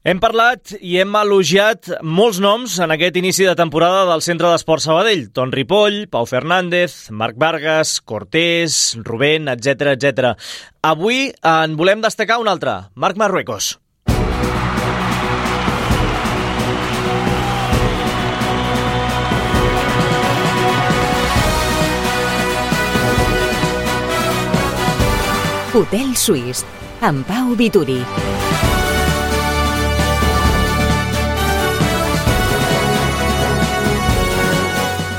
Hem parlat i hem elogiat molts noms en aquest inici de temporada del Centre d'Esport Sabadell. Ton Ripoll, Pau Fernández, Marc Vargas, Cortés, Rubén, etc. Avui en volem destacar un altre, Marc Marruecos. Hotel Suís, amb Pau Vituri.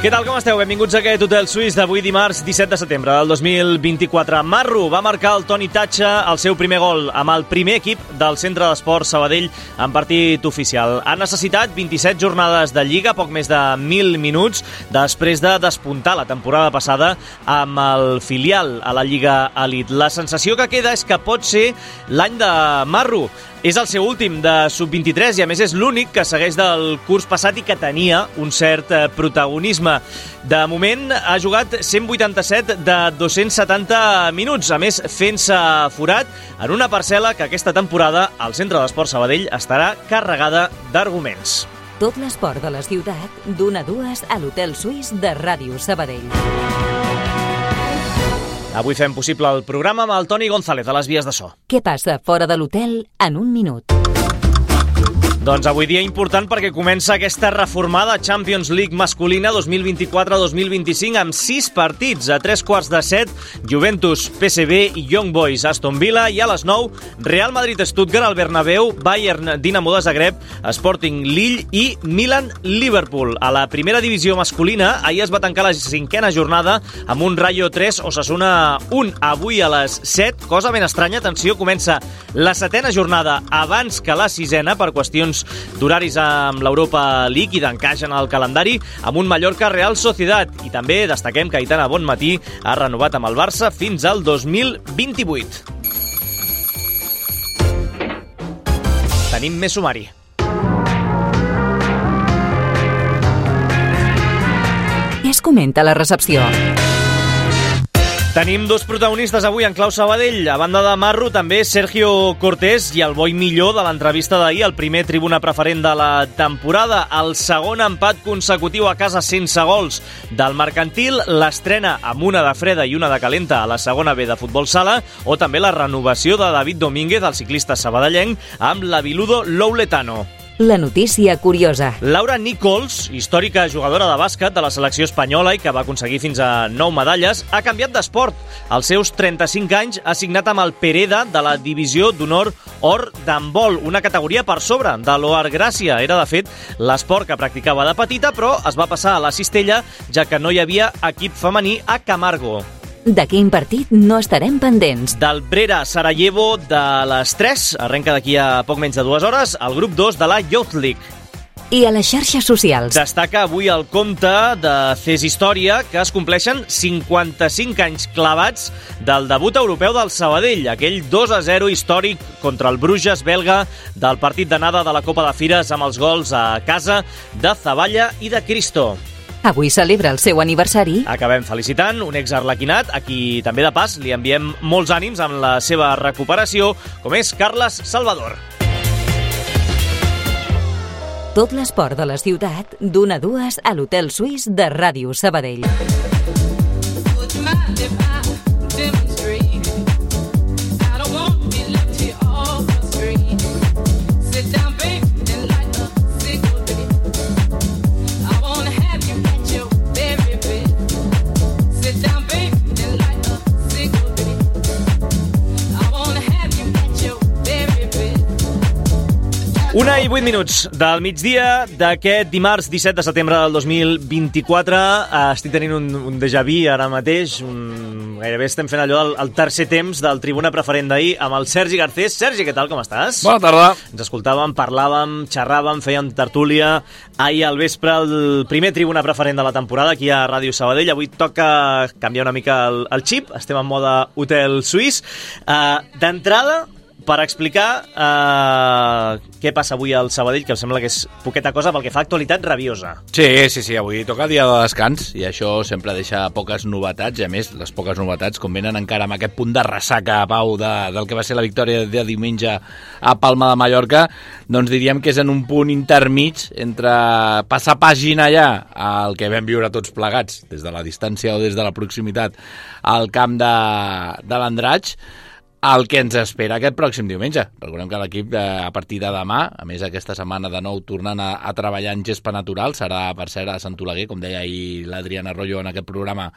Què tal, com esteu? Benvinguts a aquest Hotel Suís d'avui dimarts 17 de setembre del 2024. Marru va marcar el Toni Tatxa el seu primer gol amb el primer equip del Centre d'Esport Sabadell en partit oficial. Ha necessitat 27 jornades de Lliga, poc més de 1.000 minuts, després de despuntar la temporada passada amb el filial a la Lliga Elite. La sensació que queda és que pot ser l'any de Marru. És el seu últim de sub-23 i a més és l'únic que segueix del curs passat i que tenia un cert protagonisme. De moment ha jugat 187 de 270 minuts, a més fent-se forat en una parcel·la que aquesta temporada al Centre d'Esport Sabadell estarà carregada d'arguments. Tot l'esport de la ciutat, d'1 a 2 a l'Hotel Suís de Ràdio Sabadell. Avui fem possible el programa amb el Toni González a les vies de so. Què passa fora de l'hotel en un minut? Doncs avui dia important perquè comença aquesta reformada Champions League masculina 2024-2025 amb 6 partits. A 6:45, Juventus, PSV i Young Boys, Aston Villa, i a les 9, Real Madrid-Stuttgart al Bernabéu, Bayern, Dinamo de Zagreb, Sporting Lille i Milan-Liverpool. A la primera divisió masculina, ahir es va tancar la 5a jornada amb un Rayo 3, Osasuna 1. Avui a les 7, cosa ben estranya, atenció, comença la 7a jornada abans que la 6a per qüestions d'horaris amb l'Europa League i d'encaix en el calendari amb un Mallorca Real Sociedad. I també destaquem que Aitana Bonmatí ha renovat amb el Barça fins al 2028. Tenim més sumari. Què es comenta a la recepció? Tenim dos protagonistes avui en clau Sabadell. A banda de Marru, també Sergio Cortés i el boi millor de l'entrevista d'ahir, el primer tribuna preferent de la temporada. El segon empat consecutiu a casa sense gols del Mercantil, l'estrena amb una de freda i una de calenta a la segona B de futbol sala, o també la renovació de David Domínguez, el ciclista sabadellenc, amb l'Aviludo Louletano. La notícia curiosa. Laura Nichols, històrica jugadora de bàsquet de la selecció espanyola i que va aconseguir fins a 9 medalles, ha canviat d'esport. Als seus 35 anys ha signat amb el Pereda de la divisió d'honor or d'handbol, una categoria per sobre de l'Oar Gràcia. Era, de fet, l'esport que practicava de petita, però es va passar a la cistella, ja que no hi havia equip femení a Camargo. De quin partit no estarem pendents? Del Brera Sarajevo de les 3, arrenca d'aquí a poc menys de 2 hores, el grup 2 de la Youth League. I a les xarxes socials? Destaca avui el compte de CES Història, que es compleixen 55 anys clavats del debut europeu del Sabadell, aquell 2-0 històric contra el Bruges belga del partit d'anada de la Copa de Fires amb els gols a casa de Zaballa i de Cristo. Avui celebra el seu aniversari. Acabem felicitant un ex-arlequinat, a qui també de pas li enviem molts ànims amb la seva recuperació, com és Carles Salvador. Tot l'esport de la ciutat, d'1 a 2 a l'Hotel Suís de Ràdio Sabadell. Una i 8 minuts del migdia d'aquest dimarts 17 de setembre del 2024. Estic tenint un déjà vu ara mateix. Gairebé estem fent allò el tercer temps del tribuna preferent d'ahir amb el Sergi Garcés. Sergi, què tal, com estàs? Bona tarda. Ens escoltàvem, parlàvem, xerràvem, fèiem tertúlia. Ahir al vespre el primer tribuna preferent de la temporada aquí a Ràdio Sabadell. Avui toca canviar una mica el xip. Estem en mode Hotel Suís. D'entrada, per explicar què passa avui al Sabadell, que em sembla que és poqueta cosa pel que fa a actualitat rabiosa. Sí, avui toca dia de descans i això sempre deixa poques novetats, i a més, les poques novetats, com venen encara amb aquest punt de ressaca, Pau, del que va ser la victòria de diumenge a Palma de Mallorca, doncs diríem que és en un punt intermig entre passar pàgina ja al que vam viure tots plegats, des de la distància o des de la proximitat al camp de l'Andratx, el que ens espera aquest pròxim diumenge. Recordem que l'equip, a partir de demà, a més aquesta setmana de nou tornant a treballar en gespa natural, serà per cert a Sant Oleguer, com deia ahir l'Adriana Arroyo en aquest programa,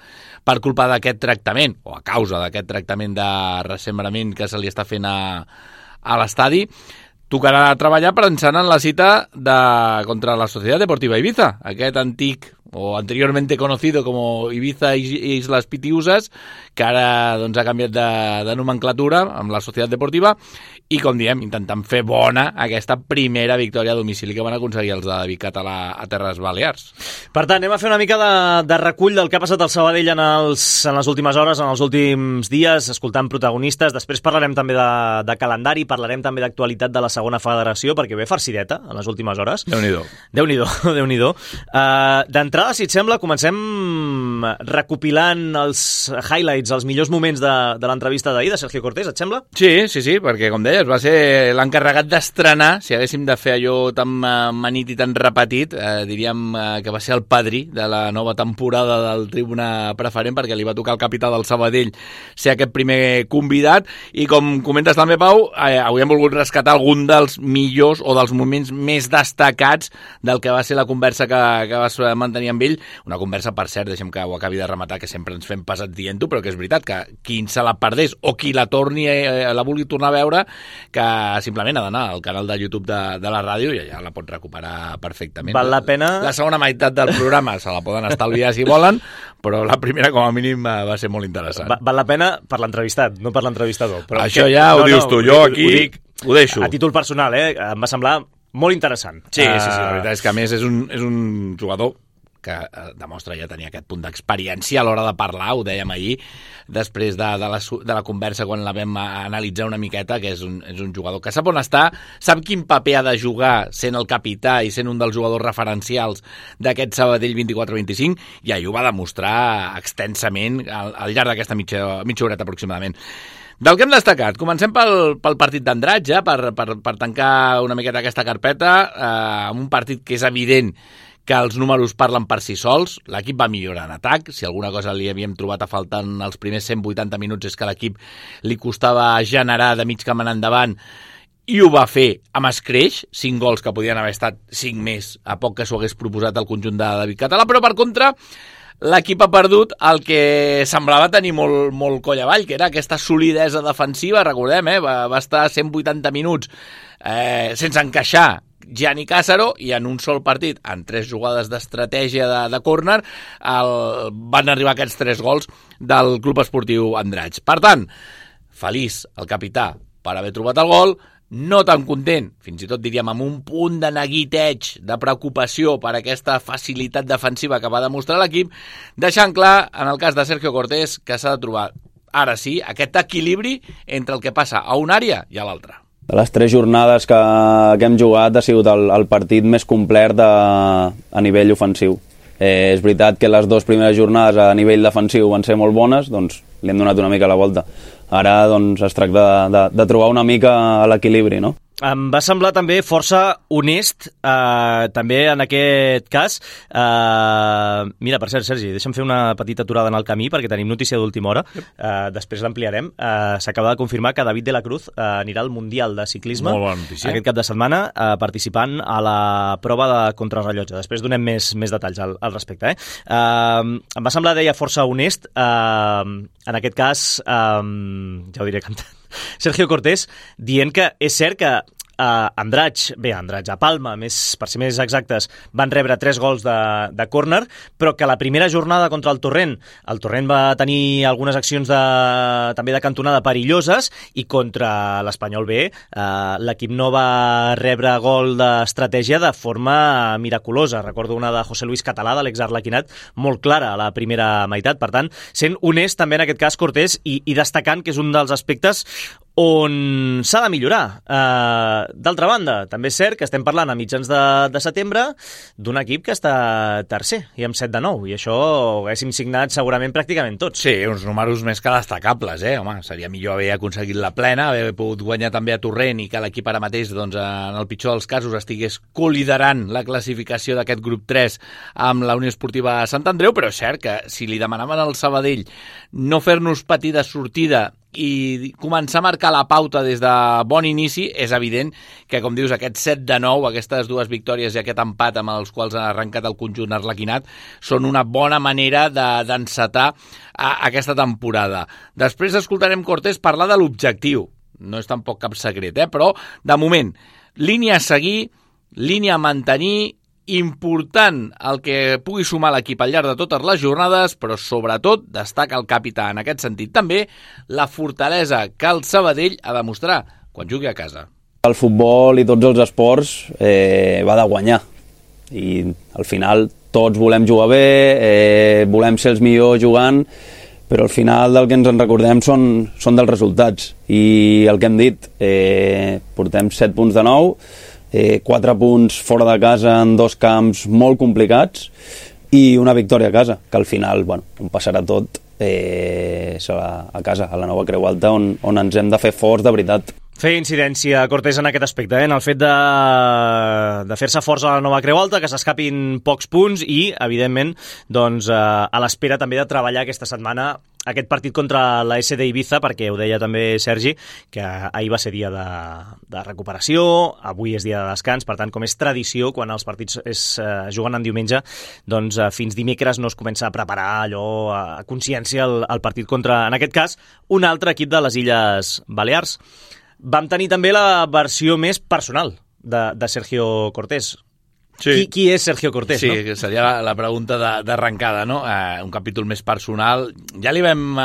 per culpa d'aquest tractament, o a causa d'aquest tractament de ressembrament que se li està fent a l'estadi. Tocarà treballar pensant en la cita contra la Sociedad Deportiva Ibiza, aquest antic o anteriormente conocido como Ibiza Islas Pitiusas, que ara doncs, ha canviat de nomenclatura amb la Societat Deportiva, i com diem, intentant fer bona aquesta primera victòria a domicili que van aconseguir els de David Català a Terres Balears. Per tant, anem a fer una mica de recull del que ha passat al Sabadell en les últimes hores, en els últims dies, escoltant protagonistes. Després parlarem també de calendari, parlarem també d'actualitat de la segona federació, perquè ve farcideta en les últimes hores. Déu-n'hi-do. D'entrada, si et sembla, comencem recopilant els highlights, els millors moments de l'entrevista d'ahir de Sergio Cortés, et sembla? Sí, perquè com deies, va ser l'encarregat d'estrenar, si haguéssim de fer allò tan manit i tan repetit, diríem que va ser el padrí de la nova temporada del Tribuna Preferent, perquè li va tocar al capità del Sabadell ser aquest primer convidat, i com comentes també, Pau, avui hem volgut rescatar algun dels millors o dels moments més destacats del que va ser la conversa que vas mantenir amb ell, una conversa, per cert, deixem que ho acabi de rematar, que sempre ens fem pesats dient-ho, però que és veritat que qui se la perdés o qui la vulgui tornar a veure, que simplement ha d'anar al canal de YouTube de la ràdio i allà la pot recuperar perfectament. Val la pena... La segona meitat del programa se la poden estalviar si volen, però la primera com a mínim va ser molt interessant. Val la pena per l'entrevistat, no per l'entrevistador. Però això ja ho dius tu, jo aquí ho deixo. A títol personal, em va semblar molt interessant. Sí, la veritat és que a més és un jugador que demostra ja tenir aquest punt d'experiència a l'hora de parlar, ho dèiem ahir, després de la conversa quan la vam analitzar una miqueta, que és un jugador que sap on està, sap quin paper ha de jugar sent el capità i sent un dels jugadors referencials d'aquest Sabadell 24-25, i ahir ho va demostrar extensament al llarg d'aquesta mitja horeta aproximadament. Del que hem destacat, comencem pel partit d'Andratx, per tancar una miqueta aquesta carpeta, amb un partit que és evident que els números parlen per si sols. L'equip va millorar en atac. Si alguna cosa li havíem trobat a faltar en els primers 180 minuts és que a l'equip li costava generar de mig camp en endavant, i ho va fer amb escreix, 5 gols que podien haver estat 5 més a poc que s'ho hagués proposat el conjunt de David Català, però per contra l'equip ha perdut el que semblava tenir molt coll avall, que era aquesta solidesa defensiva. Recordem, va estar 180 minuts sense encaixar Gianni Càssaro, i en un sol partit, en 3 jugades d'estratègia de córner, van arribar aquests 3 gols del Club Esportiu Andratx. Per tant, feliç el capità per haver trobat el gol, no tan content, fins i tot diríem amb un punt de neguiteig, de preocupació per aquesta facilitat defensiva que va demostrar l'equip, deixant clar, en el cas de Sergio Cortés, que s'ha de trobar, ara sí, aquest equilibri entre el que passa a una àrea i a l'altra. De les 3 jornades que hem jugat ha sigut el partit més complet a nivell ofensiu. És veritat que les 2 primeres jornades a nivell defensiu van ser molt bones, doncs li hem donat una mica la volta. Ara doncs, es tracta de trobar una mica l'equilibri, no? Em va semblar també força honest, també en aquest cas. Mira, per cert, Sergi, deixa'm fer una petita aturada en el camí perquè tenim notícia d'última hora, després l'ampliarem. S'acaba de confirmar que David de la Cruz anirà al Mundial de Ciclisme aquest cap de setmana, participant a la prova de contrarrellotge. Després donem més detalls al respecte. Em va semblar, deia, força honest, en aquest cas, ja ho diré cantant, Sergio Cortés, dient que és cert que Andratx, a Palma, per ser més exactes, van rebre 3 gols de córner, però que la primera jornada contra el Torrent va tenir algunes accions també de cantonada perilloses, i contra l'Espanyol B l'equip no va rebre gol d'estratègia de forma miraculosa. Recordo una de José Luis Català, de l'ex-Arlequinat, molt clara a la primera meitat. Per tant, sent honest també en aquest cas Cortés, i destacant que és un dels aspectes on s'ha de millorar. D'altra banda, també és cert que estem parlant a mitjans de setembre d'un equip que està tercer i amb 7-9, i això ho haguéssim signat segurament pràcticament tots. Sí, uns números més que destacables, Home, seria millor haver aconseguit la plena, haver pogut guanyar també a Torrent i que l'equip ara mateix, doncs, en el pitjor dels casos, estigués coliderant la classificació d'aquest grup 3 amb la Unió Esportiva Sant Andreu, però és cert que si li demanaven al Sabadell no fer-nos patir de sortida i començar a marcar la pauta des de bon inici, és evident que, com dius, aquest 7-9, aquestes dues victòries i aquest empat amb els quals ha arrencat el conjunt arlequinat, són una bona manera d'encetar aquesta temporada. Després escoltarem Cortés parlar de l'objectiu. No és tampoc cap secret, però, de moment, línia a seguir, línia a mantenir, important el que pugui sumar l'equip al llarg de totes les jornades, però sobretot destaca el capità en aquest sentit també la fortalesa que el Sabadell ha de mostrar quan jugui a casa. El futbol i tots els esports va de guanyar i al final tots volem jugar bé, volem ser els millors jugant, però al final del que ens en recordem són dels resultats i el que hem dit, portem 7 punts de 9, 4 punts fora de casa en 2 camps molt complicats i una victòria a casa, que al final, on passarà tot serà a casa, a la Nova Creu Alta, on ens hem de fer forts de veritat. Feia incidència Cortés en aquest aspecte, en el fet de fer-se forts a la Nova Creu Alta, que s'escapin pocs punts i, evidentment, doncs, a l'espera també de treballar aquesta setmana aquest partit contra la SD Ibiza, perquè ho deia també Sergi, que ahir va ser dia de recuperació, avui és dia de descans, per tant, com és tradició, quan els partits es juguen en diumenge, doncs fins dimecres no es comença a preparar allò a consciència el partit contra, en aquest cas, un altre equip de les Illes Balears. Vam tenir també la versió més personal de Sergio Cortés. Sí. Qui és Sergio Cortés? Sí, no? Seria la pregunta d'arrencada, no? Un capítol més personal. Ja li vam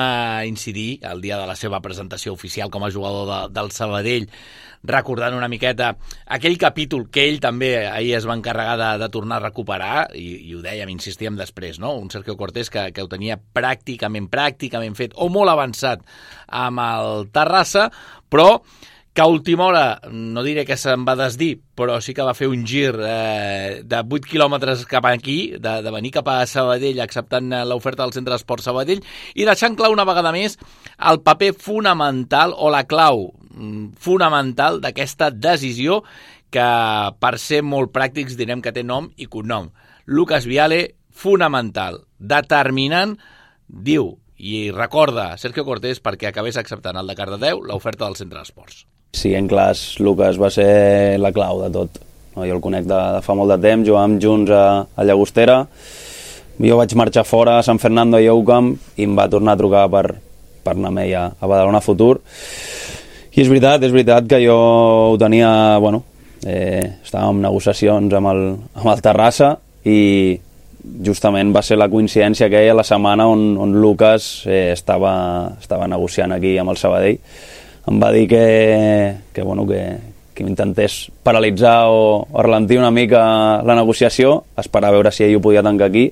incidir el dia de la seva presentació oficial com a jugador del Sabadell, recordant una miqueta aquell capítol que ell també ahir es va encarregar de tornar a recuperar, i ho dèiem, insistíem després, no? Un Sergio Cortés que ho tenia pràcticament fet, o molt avançat amb el Terrassa, però que a última hora, no diré que se'n va desdir, però sí que va fer un gir de 8 quilòmetres cap aquí, de venir cap a Sabadell acceptant l'oferta del Centre d'Esport Sabadell i deixant clar una vegada més el paper fonamental o la clau fonamental d'aquesta decisió que, per ser molt pràctics, direm que té nom i cognom. Lucas Viale, fonamental, determinant, diu, i recorda Sergio Cortés perquè acabés acceptant el de Cardedeu l'oferta del Centre d'Esports. Sí, en clars, Lucas va ser la clau de tot. Jo el conec de fa molt de temps, jugàvem junts a Llagostera, jo vaig marxar fora a San Fernando i Oucam i em va tornar a trucar per anar amb ell a Badalona Futur. I és veritat que jo ho tenia, estàvem en negociacions amb el Terrassa i justament va ser la coincidència aquella la setmana on Lucas estava negociant aquí amb el Sabadell. Em va dir que m'intentés paralitzar o ralentir una mica la negociació, esperar a veure si ell ho podia tancar aquí,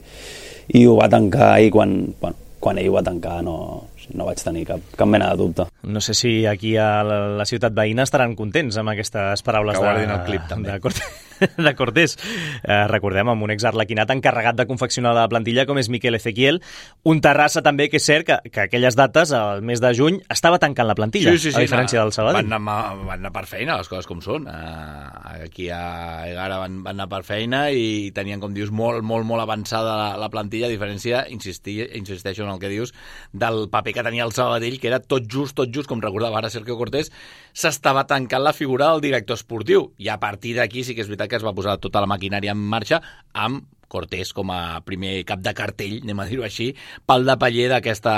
i ho va tancar ahir. Quan ell ho va tancar no vaig tenir cap mena de dubte. No sé si aquí a la ciutat veïna estaran contents amb aquestes paraules de Cortés. Recordem, amb un exarlequinat encarregat de confeccionar la plantilla com és Miquel Ezequiel, un Terrassa també que és cert que aquelles dates, al mes de juny, estava tancant la plantilla, sí, a diferència del Sabadell. Van anar per feina, les coses com són. Aquí a Egara van anar per feina i tenien, com dius, molt avançada la plantilla, a diferència, insisteixo en el que dius, del paper que tenia el Sabadell, que era tot just, com recordava ara Sergio Cortés, s'estava tancant la figura del director esportiu. I a partir d'aquí sí que és veritat que es va posar tota la maquinària en marxa amb Cortés com a primer cap de cartell, anem a dir-ho així, pal de paller d'aquesta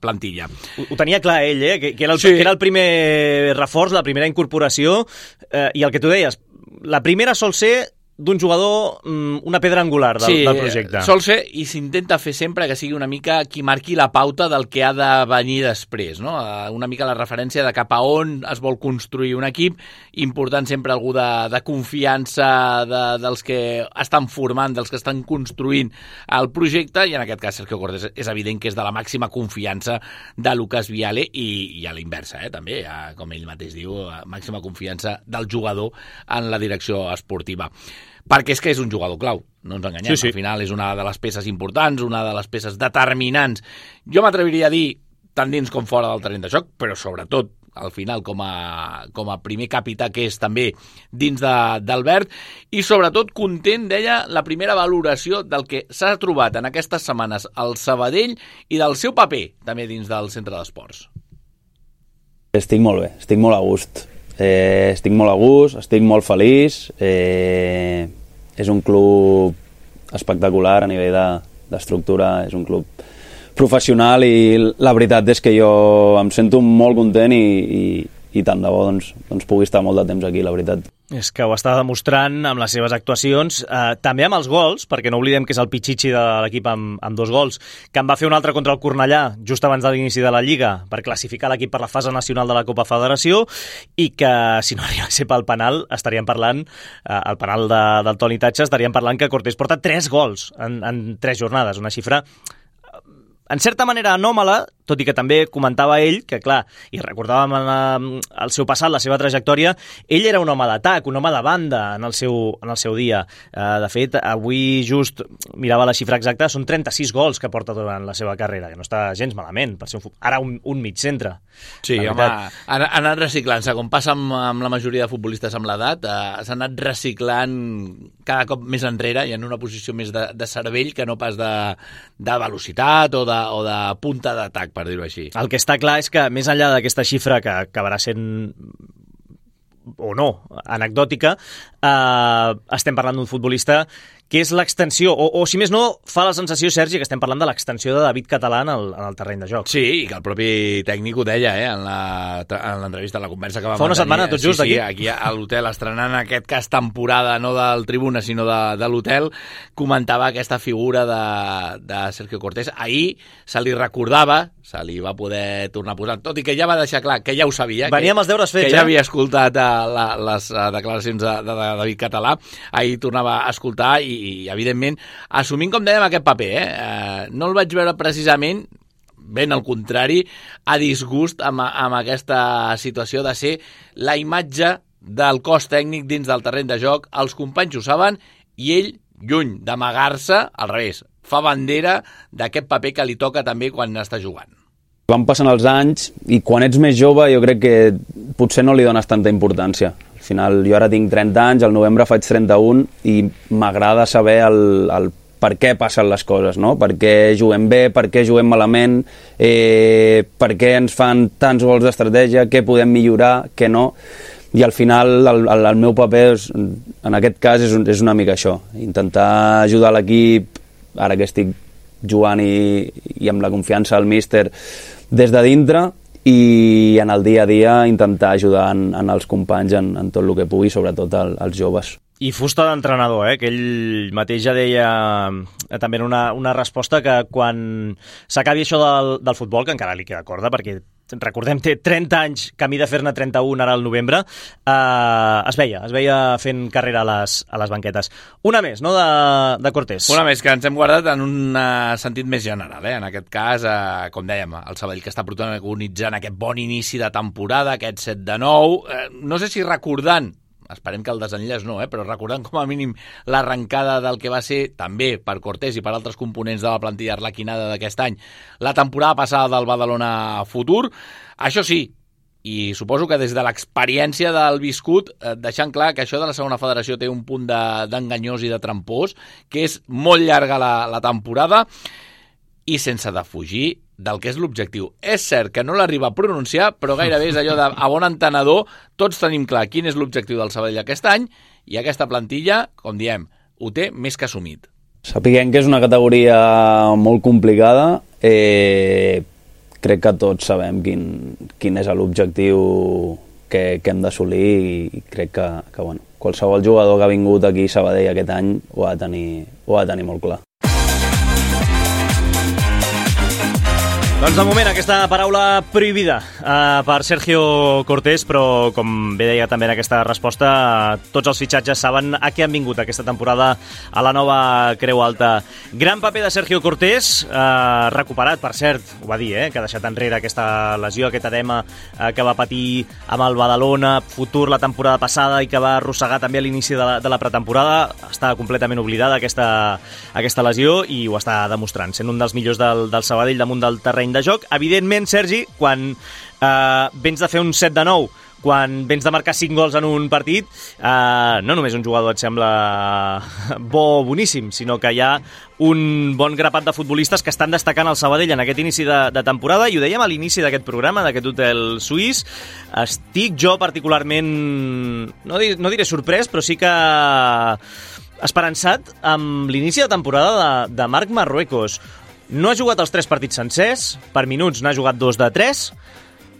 plantilla. Ho tenia clar ell, que era el primer reforç, la primera incorporació, i el que tu deies, la primera sol ser d'un jugador una pedra angular del projecte. Sí, sol ser, i s'intenta fer sempre que sigui una mica qui marqui la pauta del que ha de venir després, no? Una mica la referència de cap a on es vol construir un equip, important sempre algú de confiança dels que estan formant, dels que estan construint el projecte, i en aquest cas Sergio Cortés és evident que és de la màxima confiança de Lucas Viale, i a la inversa, també, com ell mateix diu, màxima confiança del jugador en la direcció esportiva. Perquè és que és un jugador clau, no ens enganyem, sí. Al final és una de les peces importants, una de les peces determinants. Jo m'atreviria a dir tant dins com fora del terreny de joc, però sobretot al final com a primer capità que és també dins d'Albert, i sobretot content, deia, la primera valoració del que s'ha trobat en aquestes setmanes al Sabadell i del seu paper també dins del centre d'esports. Estic molt bé, estic molt a gust. Estic molt a gust, estic molt feliç. És un club espectacular a nivell d'estructura, és un club professional, i la veritat és que jo em sento molt content i tant de bo doncs pugui estar molt de temps aquí, la veritat. És que ho està demostrant amb les seves actuacions, també amb els gols, perquè no oblidem que és el Pichichi de l'equip amb 2 gols, que en va fer un altre contra el Cornellà just abans de l'inici de la Lliga per classificar l'equip per la fase nacional de la Copa Federació, i que si no arriba a ser pel penal, estaríem parlant, el penal del Toni Tatxa, estaríem parlant que Cortés porta 3 gols en 3 jornades, una xifra en certa manera anòmala, tot i que també comentava ell que, clar, i recordàvem el seu passat, la seva trajectòria, ell era un home d'atac, un home de banda en el seu dia. De fet, avui just mirava la xifra exacta, són 36 gols que porta durant la seva carrera, que no està gens malament, per ser ara un mig centre. Sí, home, ha anat reciclant-se, com passa amb la majoria de futbolistes amb l'edat, s'ha anat reciclant cada cop més enrere i en una posició més de cervell que no pas de velocitat o de punta d'atac, per dir-ho així. El que està clar és que, més enllà d'aquesta xifra que acabarà sent o no anecdòtica, estem parlant d'un futbolista que és l'extensió, o si més no, fa la sensació, Sergi, que estem parlant de l'extensió de David Català en el terreny de joc. Sí, i que el propi tècnic ho deia, en l'entrevista, en la conversa que va mantenir. Fa una setmana, tot just, aquí. Sí, aquí a l'hotel, estrenant aquest cas temporada, no del Tribuna, sinó de l'hotel, comentava aquesta figura de Sergio Cortés. Ahir se li recordava, se li va poder tornar a posar, tot i que ja va deixar clar que ja ho sabia. Venia amb els deures fets, que ja havia escoltat les declaracions de David Català. Ahir tornava a escoltar i evidentment, assumint, com dèiem, aquest paper. No el vaig veure precisament, ben al contrari, a disgust amb aquesta situació de ser la imatge del cos tècnic dins del terreny de joc. Els companys ho saben i ell, lluny d'amagar-se, al revés, fa bandera d'aquest paper que li toca també quan està jugant. Van passant els anys i quan ets més jove jo crec que potser no li dones tanta importància. Al final jo ara tinc 30 anys, al novembre faig 31 i m'agrada saber el per què passen les coses, no? Per què juguem bé, per què juguem malament, per què ens fan tants gols d'estratègia, què podem millorar, què no. I al final el meu paper en aquest cas és una mica això, intentar ajudar l'equip, ara que estic jugant i amb la confiança del míster des de dintre, i en el dia a dia intentar ajudar en els companys en tot el que pugui, sobretot als joves. I fusta d'entrenador, que ell mateix ja deia també en una resposta que quan s'acabi això del futbol, que encara li queda corda, perquè recordem, té 30 anys, camí de fer-ne 31 ara al novembre, es veia fent carrera a les banquetes. Una més, no?, de Cortés. Una més, que ens hem guardat en un sentit més general, En aquest cas, com dèiem, el Sabadell que està protagonitzant aquest bon inici de temporada, aquest 7-9, no sé si recordant, esperem que el desenllaç no, però recordant com a mínim l'arrencada del que va ser també per Cortés i per altres components de la plantilla arlequinada d'aquest any, la temporada passada del Badalona Futur. Això sí, i suposo que des de l'experiència del viscut, deixant clar que això de la segona federació té un punt d'enganyós i de trampós, que és molt llarga la temporada, i sense defugir del que és l'objectiu. És cert que no l'arriba a pronunciar, però gairebé és allò de, a bon entenedor, tots tenim clar quin és l'objectiu del Sabadell aquest any, i aquesta plantilla, com diem, ho té més que assumit. Sapiguem que és una categoria molt complicada, crec que tots sabem quin és l'objectiu que hem d'assolir, i crec que qualsevol jugador que ha vingut aquí a Sabadell aquest any ho ha de tenir molt clar. Doncs de moment aquesta paraula prohibida per Sergio Cortés, però com bé deia també en aquesta resposta, tots els fitxatges saben a què han vingut aquesta temporada a la nova Creu Alta. Gran paper de Sergio Cortés, recuperat, per cert, ho va dir, que ha deixat enrere aquesta lesió, aquest edema que va patir amb el Badalona, futur la temporada passada i que va arrossegar també a l'inici de la pretemporada. Està completament oblidada aquesta lesió i ho està demostrant, sent un dels millors del Sabadell damunt del terreny de joc. Evidentment, Sergi, quan vens de fer un 7-9, quan vens de marcar 5 gols en un partit, no només un jugador et sembla boníssim, sinó que hi ha un bon grapat de futbolistes que estan destacant el Sabadell en aquest inici de temporada, i ho dèiem a l'inici d'aquest programa, d'aquest hotel suís. Estic jo particularment, no diré sorprès, però sí que esperançat amb l'inici de temporada de Marc Marruecos. No ha jugat els 3 partits sencers, per minuts n'ha jugat 2 de 3,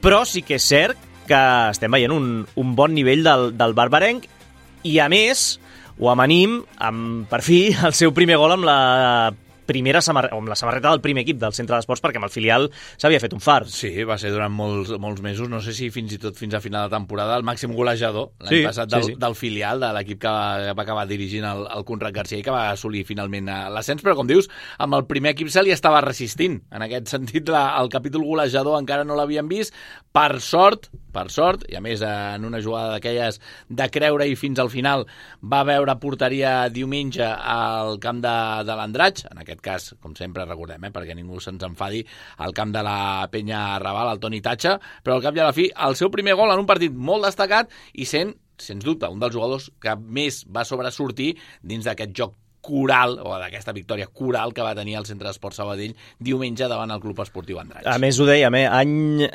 però sí que és cert que estem veient un bon nivell del barbarenc, i a més ho amanim amb, per fi, el seu primer gol amb la samarreta del primer equip del Centre d'Esports, perquè amb el filial s'havia fet un fart. Sí, va ser durant molts mesos, no sé si fins i tot fins a final de temporada, el màxim golejador l'any passat del filial, de l'equip que va acabar dirigint el Conrad Garcia i que va assolir finalment l'ascens, però com dius, amb el primer equip se li estava resistint. En aquest sentit, el capítol golejador encara no l'havien vist. Per sort, i a més en una jugada d'aquelles de creure-hi fins al final, va veure porteria diumenge al camp de l'Andratx, en aquest cas, com sempre recordem, perquè ningú se'ns enfadi, al camp de la Penya Raval, el Toni Tatxa, però al cap i a la fi, el seu primer gol en un partit molt destacat i sent, sens dubte, un dels jugadors que més va sobresortir dins d'aquest joc coral, o d'aquesta victòria coral que va tenir el Centre d'Esports Sabadell diumenge davant el Club Esportiu Andratx. A més, ho dèiem, any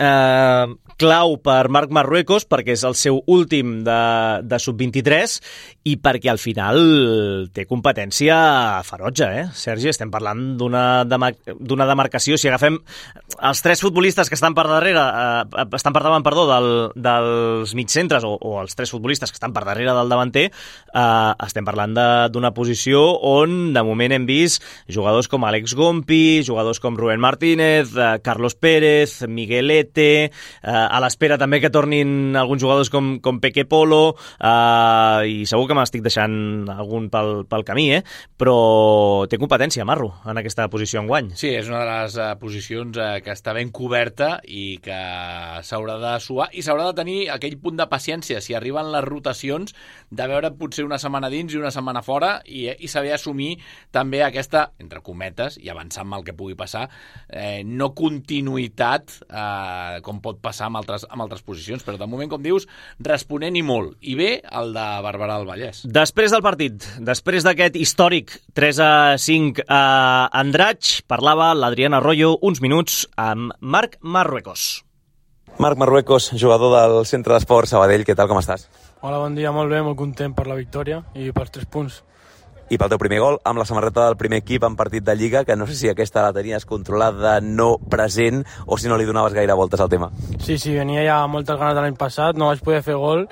clau per Marc Marruecos, perquè és el seu últim de sub-23 i perquè al final té competència ferotge, Sergi? Estem parlant d'una demarcació. Si agafem els 3 futbolistes que estan per davant dels mitjcentres, o els 3 futbolistes que estan per darrere del davanter, estem parlant d'una posició on de moment hem vist jugadors com Àlex Gompi, jugadors com Rubén Martínez, Carlos Pérez, Miguelete, a l'espera també que tornin alguns jugadors com Peque Polo, i segur que m'estic deixant algun pel camí, però té competència, Marro, en aquesta posició enguany. Sí, és una de les posicions que està ben coberta i que s'haurà de suar i s'haurà de tenir aquell punt de paciència si arriben les rotacions, de veure potser una setmana dins i una setmana fora i saber assumir també aquesta, entre cometes, i avançar amb el que pugui passar, no continuïtat, com pot passar amb altres posicions, però de moment, com dius, responent i molt, i bé el de Barberà del Vallès. Després del partit, després d'aquest històric 3-5 a Andratx, parlava l'Adrián Arroyo uns minuts amb Marc Marruecos. Marc Marruecos, jugador del Centre d'Esports Sabadell, què tal, com estàs? Hola, bon dia, molt bé, molt content per la victòria i pels 3 punts. I pel teu primer gol, amb la samarreta del primer equip en partit de Lliga, que no sé si aquesta la tenies controlada, no present, o si no li donaves gaire voltes al tema. Sí, venia ja moltes ganes de l'any passat, no vaig poder fer gol,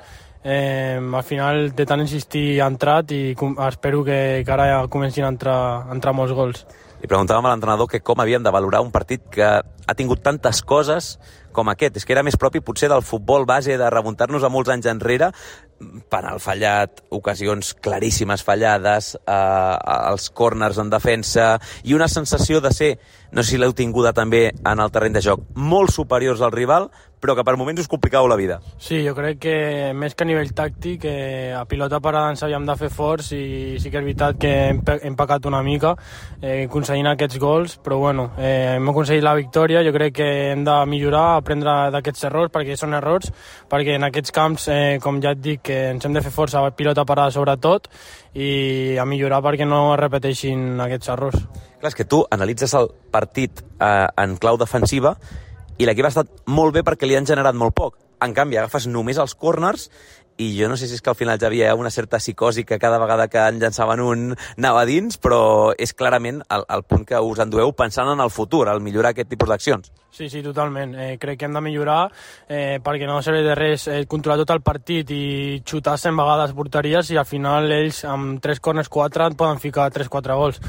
al final de tant insistir ha entrat i espero que ara ja comencin a entrar molts gols. Li preguntàvem a l'entrenador que com havíem de valorar un partit que ha tingut tantes coses com aquest. És que era més propi potser del futbol base, de remuntar-nos a molts anys enrere, penal fallat, ocasions claríssimes fallades, els córners en defensa i una sensació de ser, no sé si l'heu tinguda també en el terreny de joc, molt superiors al rival, però que per moments us complicàveu la vida. Sí, jo crec que més que a nivell tàctic, a pilota parada ens havíem de fer forts i sí que és veritat que hem pecat una mica aconseguint aquests gols, però bueno, hem aconseguit la victòria. Jo crec que hem de millorar, aprendre d'aquests errors, perquè són errors, perquè en aquests camps, com ja et dic, que ens hem de fer força a pilota parada sobretot i a millorar perquè no es repeteixin aquests errors. Clar, és que tu analitzes el partit en clau defensiva i l'equip ha estat molt bé perquè li han generat molt poc. En canvi, agafes només els córners i jo no sé si és que al final ja havia una certa psicosi que cada vegada que en llançaven un anava dins, però és clarament el punt que us endueu pensant en el futur, al millorar aquest tipus d'accions. Sí, totalment. Crec que hem de millorar perquè no serveix de res controlar tot el partit i xutar 100 vegades porteries i al final ells amb 3 corners 4 et poden ficar 3-4 gols.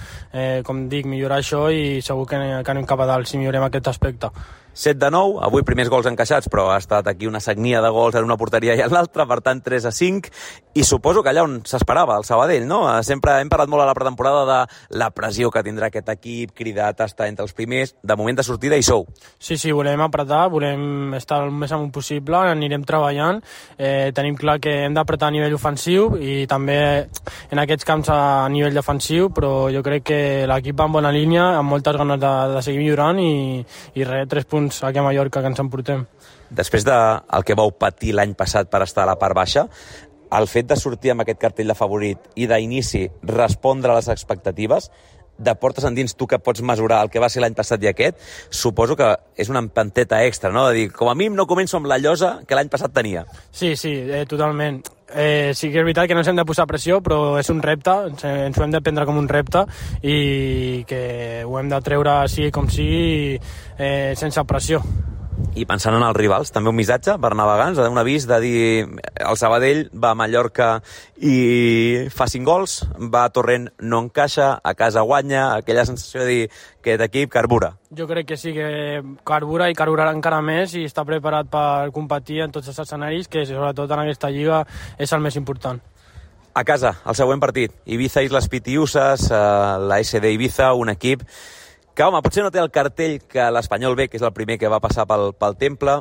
Com dic, millorar això i segur que anem cap a dalt si millorem aquest aspecte. 7-9, avui primers gols encaixats, però ha estat aquí una sagnia de gols en una porteria i en l'altra, per tant 3-5, i suposo que allà on s'esperava, el Sabadell, no? Sempre hem parlat molt a la pretemporada de la pressió que tindrà aquest equip, cridat a estar entre els primers, de moment de sortida hi sou. Sí, volem apretar, volem estar el més amunt possible, anirem treballant, tenim clar que hem d'apretar a nivell ofensiu i també en aquests camps a nivell defensiu, però jo crec que l'equip va en bona línia, amb moltes ganes de seguir millorant i 3 punts aquí a Mallorca que ens emportem. Després del que vau patir l'any passat per estar a la part baixa, el fet de sortir amb aquest cartell de favorit i d'inici respondre a les expectatives, de portes endins tu que pots mesurar el que va ser l'any passat i aquest, suposo que és una empenteta extra, no? De dir, com a mínim no començo amb la llosa que l'any passat tenia. Sí, totalment. Sí que és veritat que no ens hem de posar pressió, però és un repte, ens ho hem de prendre com un repte i que ho hem de treure sigui com sigui sense pressió. I pensant en els rivals, també un missatge per navegants, un avís de dir el Sabadell va a Mallorca i fa 5 gols, va a Torrent no encaixa, a casa guanya, aquella sensació de dir que aquest equip carbura. Jo crec que sí que carbura i carburarà encara més i està preparat per competir en tots els escenaris, que sobretot en aquesta lliga és el més important. A casa, el següent partit, Ibiza Islas Pitiusas, la SD Ibiza, un equip que, home, potser no té el cartell que l'Espanyol B, que és el primer que va passar pel Temple.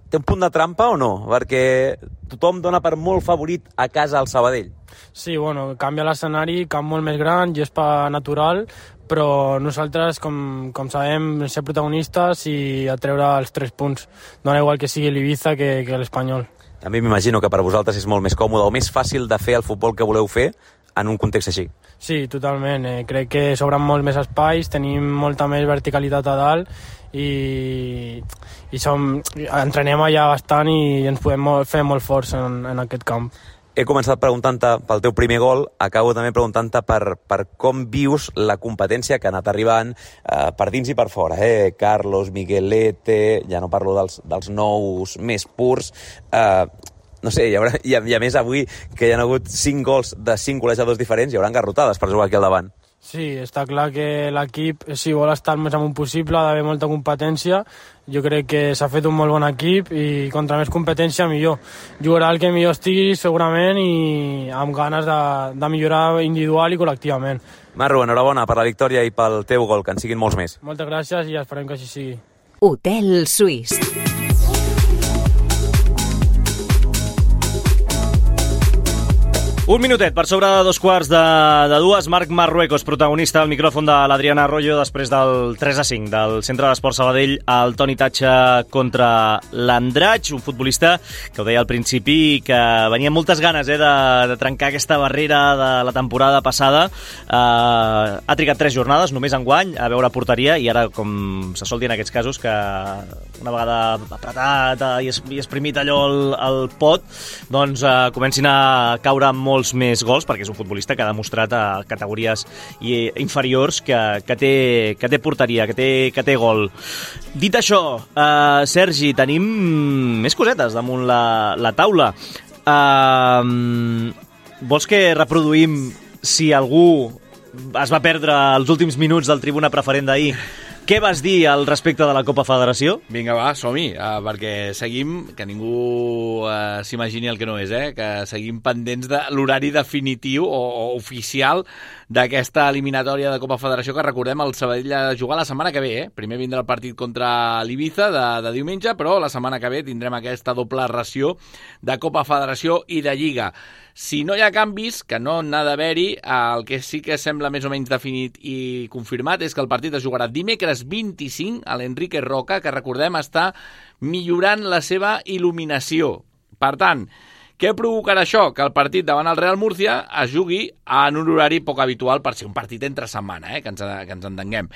Té un punt de trampa o no? Perquè tothom dona per molt favorit a casa al Sabadell. Sí, canvia l'escenari, camp molt més gran, gespa natural, però nosaltres, com sabem, ser protagonistes i atreure els 3 punts. Dona igual que sigui l'Ibiza que l'Espanyol. També m'imagino que per vosaltres és molt més còmode o més fàcil de fer el futbol que voleu fer en un context així. Sí, totalment. Crec que s'obren molt més espais, tenim molta més verticalitat a dalt i entrenem allà bastant i ens podem fer molt forts en aquest camp. He començat preguntant-te pel teu primer gol, acabo també preguntant-te per com vius la competència que ha anat arribant per dins i per fora. Carlos, Miguelete, ja no parlo dels nous més purs. No sé, i a més avui que hi ha hagut 5 gols de 5 golejadors diferents, hi haurà garrotades per jugar aquí al davant. Sí, està clar que l'equip, si vol estar el més amunt possible, ha d'haver molta competència. Jo crec que s'ha fet un molt bon equip i contra més competència millor. Jugarà el que millor estigui segurament i amb ganes de millorar individual i col·lectivament. Marro, enhorabona per la victòria i pel teu gol, que en siguin molts més. Moltes gràcies i esperem que així sigui. Hotel Suís. Un minutet per sobre de 2:15. Marc Marruecos, protagonista al micròfon de l'Adriana Arroyo després del 3-5 del Centre d'Esport Sabadell al Toni Tatxa contra l'Andratx, un futbolista que ho deia al principi que venia amb moltes ganes de trencar aquesta barrera de la temporada passada. Ha trigat 3 jornades només enguany a veure porteria i ara, com se sol dir en aquests casos, que una vegada apretat i exprimit allò al pot, doncs comencin a caure molts més gols, perquè és un futbolista que ha demostrat a categories inferiors que té porteria, que té gol. Dit això, Sergi, tenim més cosetes damunt la taula. Vols que reproduïm si algú es va perdre els últims minuts del Tribuna Preferent d'ahir? Què vas dir al respecte de la Copa Federació? Vinga, va, som-hi, perquè seguim, que ningú s'imagini el que no és, que seguim pendents de l'horari definitiu o oficial d'aquesta eliminatòria de Copa Federació, que recordem el Sabadell a jugar la setmana que ve. Primer vindrà el partit contra l'Ibiza de diumenge, però la setmana que ve tindrem aquesta doble ració de Copa Federació i de Lliga. Si no hi ha canvis, que no n'ha d'haver-hi, el que sí que sembla més o menys definit i confirmat és que el partit es jugarà dimecres 25 a l'Enrique Roca, que recordem està millorant la seva il·luminació. Per tant, què provocarà això? Que el partit davant el Real Murcia es jugui en un horari poc habitual per ser un partit entre setmana, que ens entenguem.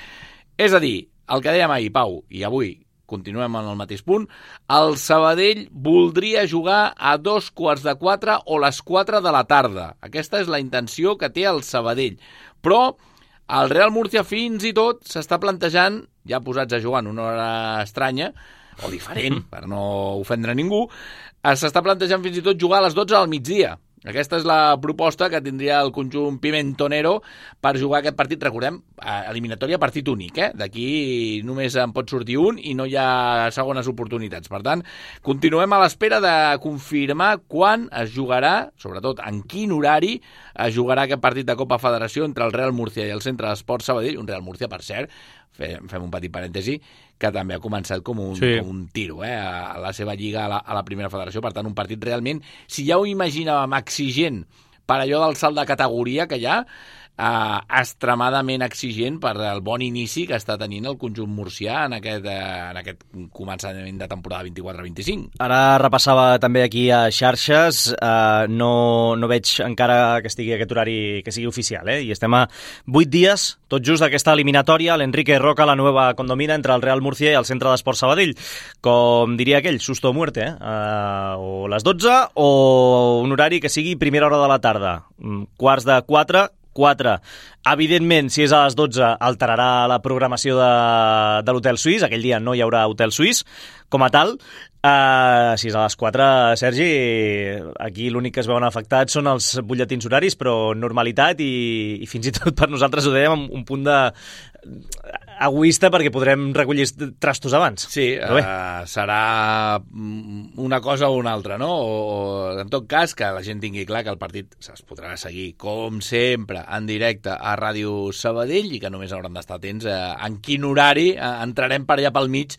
És a dir, el que dèiem ahir, Pau, i avui, continuem en el mateix punt, el Sabadell voldria jugar a 3:45 o les 4 de la tarda. Aquesta és la intenció que té el Sabadell. Però el Real Murcia fins i tot s'està plantejant, ja posats a jugar en una hora estranya, o diferent, per no ofendre ningú, s'està plantejant fins i tot jugar a les 12 del migdia. Aquesta és la proposta que tindria el conjunt pimentonero per jugar aquest partit. Recordem, eliminatòria partit únic, D'aquí només en pot sortir un i no hi ha segones oportunitats. Per tant, continuem a l'espera de confirmar quan es jugarà, sobretot en quin horari es jugarà aquest partit de Copa Federació entre el Real Murcia i el Centre d'Esports Sabadell. Un Real Murcia, per cert, fem un petit parèntesi, que també ha començat com un tiro a la seva lliga a la primera federació. Per tant, un partit realment, si ja ho imaginàvem exigent per allò del salt de categoria que hi ha, extremadament exigent per el bon inici que està tenint el conjunt murcià en aquest començament de temporada 24-25. Ara repassava també aquí a xarxes, no veig encara que estigui aquest horari que sigui oficial, i estem a 8 dies, tot just d'aquesta eliminatòria, l'Enrique Roca, la nueva condomina entre el Real Murcia i el Centre d'Esports Sabadell. Com diria aquell, susto o muerte, o les 12 o un horari que sigui primera hora de la tarda, 3:45, 4. Evidentment, si és a les 12, alterarà la programació de l'Hotel Suís. Aquell dia no hi haurà Hotel Suís com a tal. Si és a les 4, Sergi, aquí l'únic que es veuen afectats són els butlletins horaris, però normalitat i fins i tot per nosaltres ho dèiem amb un punt de egoista perquè podrem recollir trastos abans. Sí, serà una cosa o una altra, no? O en tot cas, que la gent tingui clar que el partit es podrà seguir, com sempre, en directe a Ràdio Sabadell i que només hauran d'estar atents en quin horari entrarem per allà pel mig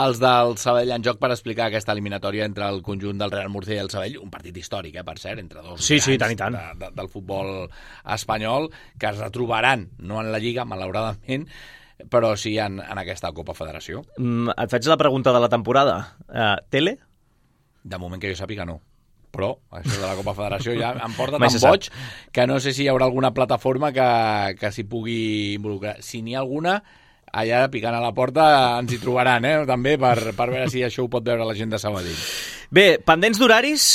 els del Sabadell en joc per explicar aquesta eliminatòria entre el conjunt del Real Murcia i el Sabadell, un partit històric, per cert, entre dos grans del futbol espanyol, que es retrobaran, no en la Lliga, malauradament, però sí en aquesta Copa Federació. Et faig la pregunta de la temporada. Tele? De moment que jo sàpiga no. Però això de la Copa Federació ja em porta tan boig que no sé si hi haurà alguna plataforma que s'hi pugui involucrar. Si n'hi ha alguna, allà picant a la porta ens hi trobaran, també, per veure si això ho pot veure la gent de Sabadell. Bé, pendents d'horaris,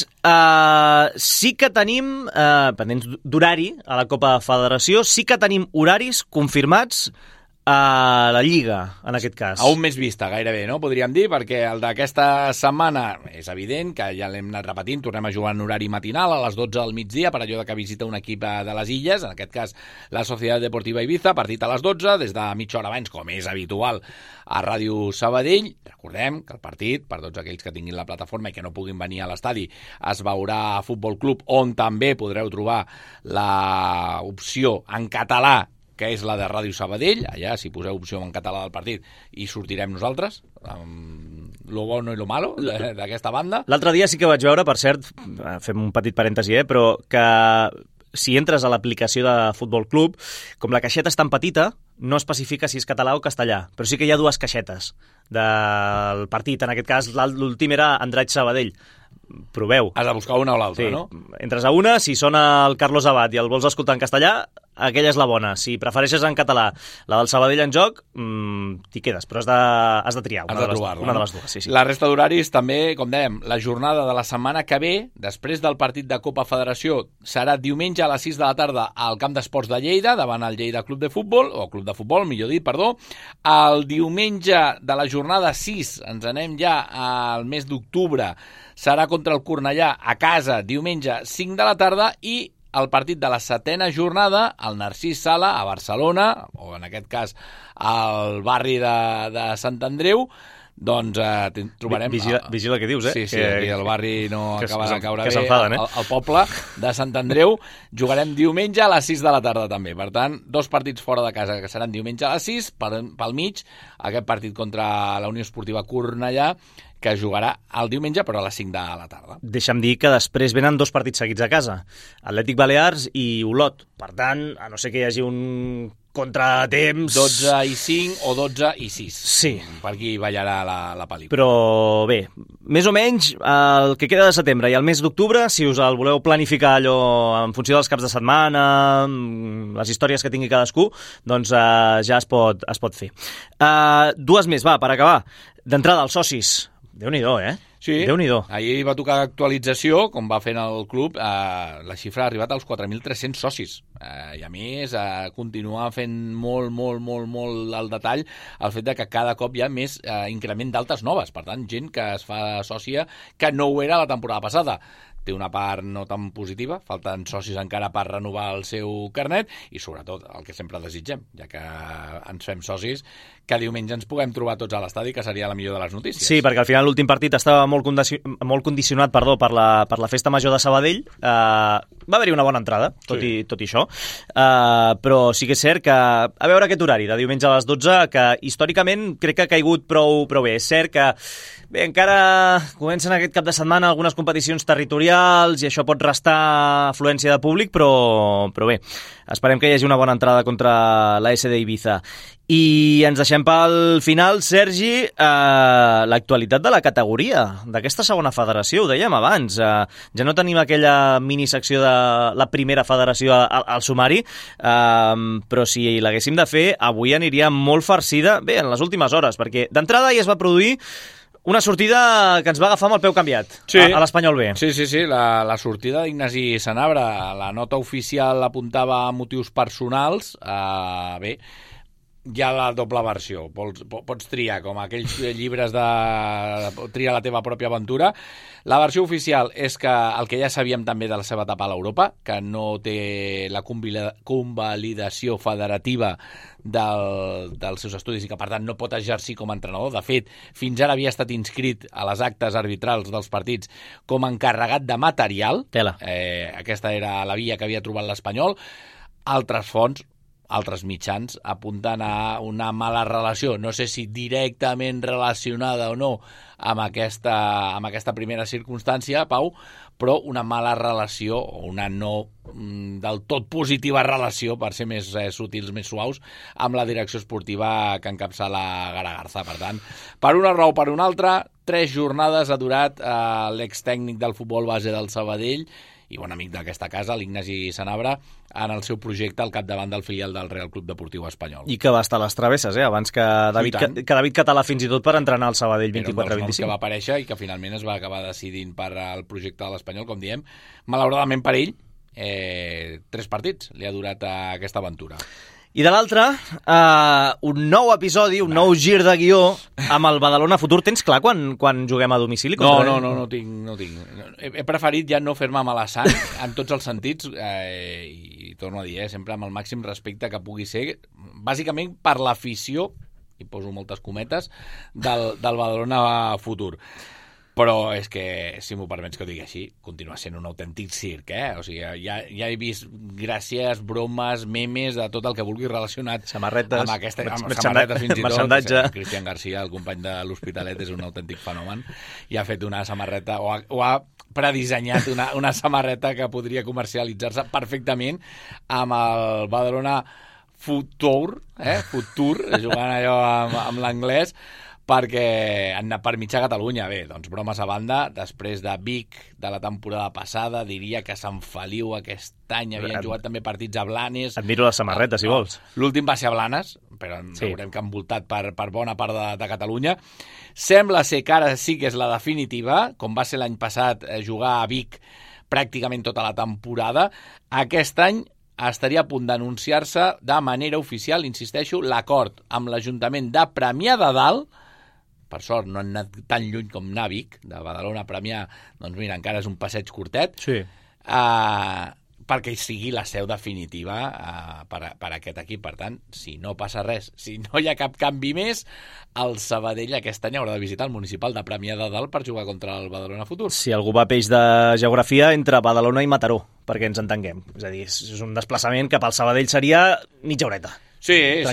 sí que tenim, pendents d'horari a la Copa Federació, sí que tenim horaris confirmats a la Lliga, en aquest cas. A un mes vista, gairebé, no? Podríem dir, perquè el d'aquesta setmana és evident que ja l'hem anat repetint, tornem a jugar en horari matinal a les 12 del migdia, per allò que visita un equip de les Illes, en aquest cas la Societat Deportiva Ibiza, partit a les 12, des de mitja hora abans, com és habitual, a Ràdio Sabadell. Recordem que el partit, per tots aquells que tinguin la plataforma i que no puguin venir a l'estadi, es veurà a Futbol Club, on també podreu trobar l'opció en català, que és la de Ràdio Sabadell. Allà, si poseu opció en català del partit, hi sortirem nosaltres, amb lo bueno i lo malo d'aquesta banda. L'altre dia sí que vaig veure, per cert, fem un petit parèntesi, però que si entres a l'aplicació de Futbol Club, com la caixeta és tan petita, no especifica si és català o castellà, però sí que hi ha dues caixetes del partit. En aquest cas, l'últim era Andratx Sabadell. Proveu. Has de buscar una o l'altra, sí. No? Entres a una, si sona el Carlos Abad i el vols escoltar en castellà, aquella és la bona. Si prefereixes en català la del Sabadell en joc, t'hi quedes, però has de triar una de les dues. Sí. La resta d'horaris també, com dèiem, la jornada de la setmana que ve, després del partit de Copa Federació, serà diumenge a les 6 de la tarda al Camp d'Esports de Lleida, davant el Lleida Club de Futbol, o Club de Futbol, millor dit, perdó. El diumenge de la jornada 6, ens anem ja al mes d'octubre, serà contra el Cornellà a casa, diumenge 5 de la tarda, i el partit de la 7ª jornada, el Narcís Sala, a Barcelona, o en aquest cas al barri de Sant Andreu, doncs trobarem... Vigila què dius, Sí, aquí el barri no acaba de caure bé. S'enfaden, El poble de Sant Andreu. Jugarem diumenge a les 6 de la tarda també. Per tant, 2 partits fora de casa, que seran diumenge a les 6, pel mig, aquest partit contra la Unió Esportiva Cornellà, que jugarà el diumenge, però a les 5 de la tarda. Deixa'm dir que després venen 2 partits seguits a casa, Atlètic Balears i Olot. Per tant, a no ser que hi hagi un contratemps... 12 i 5 o 12 i 6. Sí. Per aquí ballarà la pel·lícula. Però bé, més o menys el que queda de setembre i el mes d'octubre, si us el voleu planificar allò en funció dels caps de setmana, les històries que tingui cadascú, doncs ja es pot fer. Dues més, va, per acabar. D'entrada, els socis. Déu-n'hi-do, Sí, Déu-n'hi-do. ahir va tocar actualització, com va fent el club, la xifra ha arribat als 4.300 socis. I a més, continua fent molt al detall el fet de que cada cop hi ha més increment d'altes noves. Per tant, gent que es fa sòcia que no ho era la temporada passada. Té una part no tan positiva, falten socis encara per renovar el seu carnet i, sobretot, el que sempre desitgem, ja que ens fem socis, que diumenge ens puguem trobar tots a l'estadi, que seria la millor de les notícies. Sí, perquè al final l'últim partit estava molt condicionat per la festa major de Sabadell. Va haver-hi una bona entrada, tot i això. Però sí que és cert que, a veure aquest horari, de diumenge a les 12, que històricament crec que ha caigut prou bé. És cert que encara comencen aquest cap de setmana algunes competicions territorials i això pot restar afluència de públic, però bé, esperem que hi hagi una bona entrada contra la SD Ibiza. I ens deixem pel final, Sergi, l'actualitat de la categoria, d'aquesta segona federació, ho dèiem abans. Ja no tenim aquella minisecció de la primera federació al sumari, però si l'haguéssim de fer, avui aniria molt farcida, bé, en les últimes hores, perquè d'entrada ja es va produir una sortida que ens va agafar amb el peu canviat, sí, a l'Espanyol B. Sí, la sortida d'Ignasi Sanabra. La nota oficial apuntava a motius personals. Bé, hi ha la doble versió. Pots triar, com aquells llibres de triar la teva pròpia aventura. La versió oficial és que el que ja sabíem també de la seva etapa a l'Europa, que no té la convalidació federativa dels seus estudis i que, per tant, no pot exercir com a entrenador. De fet, fins ara havia estat inscrit a les actes arbitrals dels partits com a encarregat de material. Aquesta era la via que havia trobat l'Espanyol. Altres fonts, altres mitjans, apuntant a una mala relació, no sé si directament relacionada o no amb aquesta primera circumstància, Pau, però una mala relació o una no del tot positiva relació, per ser més sutils, més suaus, amb la direcció esportiva que encapçala Garagarza. Per tant, per una raó o per una altra, 3 jornades ha durat l'extècnic del futbol base del Sabadell i bon amic d'aquesta casa, l'Ignasi Sanabra, en el seu projecte al capdavant del filial del Real Club Deportiu Espanyol. I que va estar a les travesses, abans que David Català fins i tot per entrenar al Sabadell 24-25. Era un dels noms que va aparèixer i que finalment es va acabar decidint per al projecte de l'Espanyol, com diem. Malauradament per ell, 3 partits li ha durat aquesta aventura. I de l'altre, un nou episodi, un nou gir de guió amb el Badalona Futur. Tens clar quan juguem a domicili? No tinc. He preferit ja no fer-me mala sang en tots els sentits i torno a dir, sempre amb el màxim respecte que pugui ser, bàsicament per l'afició, i poso moltes cometes, del Badalona Futur. Però és que, si m'ho permets que ho digui així, continua sent un autèntic circ, O sigui, ja he vist gràcies, bromes, memes, de tot el que vulgui relacionat samarretes, amb samarretes fins i tot. Mercendatge. Cristian Garcia, el company de l'Hospitalet, és un autèntic fenomen i ha fet una samarreta, o ha predissenyat una samarreta que podria comercialitzar-se perfectament amb el Badalona Futur, jugant allò amb l'anglès, perquè han anat per mitja Catalunya. Bé, doncs bromes a banda, després de Vic de la temporada passada, diria que Sant Feliu aquest any havien jugat també partits a Blanes. Et miro la samarreta, si vols. L'últim va ser a Blanes, però veurem que han voltat per bona part de Catalunya. Sembla ser que ara sí que és la definitiva, com va ser l'any passat jugar a Vic pràcticament tota la temporada. Aquest any estaria a punt d'anunciar-se de manera oficial, insisteixo, l'acord amb l'Ajuntament de Premià de Dalt. Per sort no han anat tan lluny com anar a Vic, de Badalona a Premià, doncs mira, encara és un passeig curtet, perquè sigui la seu definitiva per aquest equip. Per tant, si no passa res, si no hi ha cap canvi més, el Sabadell aquest any haurà de visitar el municipal de Premià de Dalt per jugar contra el Badalona Futur. Si algú va peix de geografia, entre Badalona i Mataró, perquè ens entenguem. És a dir, és un desplaçament que pel Sabadell seria mitja horeta. Sí, i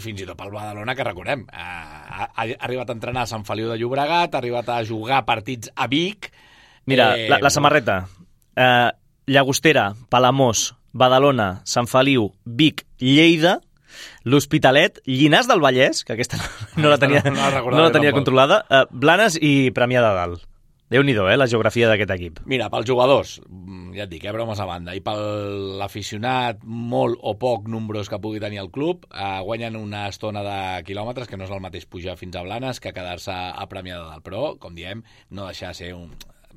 fins i tot pel Badalona, que recordem, ha arribat a entrenar a Sant Feliu de Llobregat, ha arribat a jugar partits a Vic. Mira, la samarreta, Llagostera, Palamós, Badalona, Sant Feliu, Vic, Lleida, l'Hospitalet, Llinars del Vallès, que aquesta no la tenia controlada, Blanes i Premià de Dalt. Déu-n'hi-do, la geografia d'aquest equip. Mira, pels jugadors, ja et dic, bromes a banda, i per l'aficionat molt o poc nombrós que pugui tenir el club, guanyen una estona de quilòmetres, que no és el mateix pujar fins a Blanes que quedar-se a Premià de Dalt. Però, com diem, no deixar de ser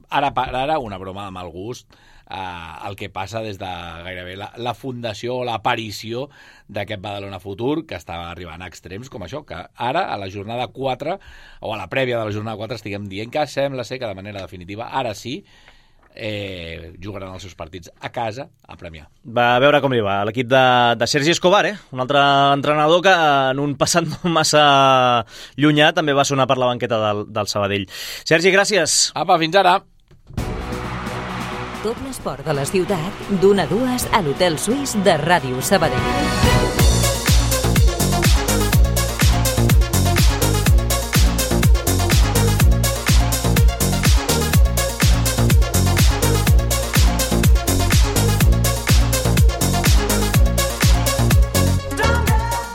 ara una broma de mal gust, el que passa des de gairebé la fundació o l'aparició d'aquest Badalona Futur, que està arribant a extrems com això, que ara, a la jornada 4, o a la prèvia de la jornada 4, estiguem dient que sembla ser que de manera definitiva, ara sí, jugaran els seus partits a casa a Premià. Va a veure com li va l'equip de Sergi Escobar, un altre entrenador que en un passat no massa llunyà també va sonar per la banqueta del Sabadell. Sergi, gràcies. Apa, fins ara. Tot l'esport de la ciutat, d'1 a 2 a l'Hotel Suís de Ràdio Sabadell.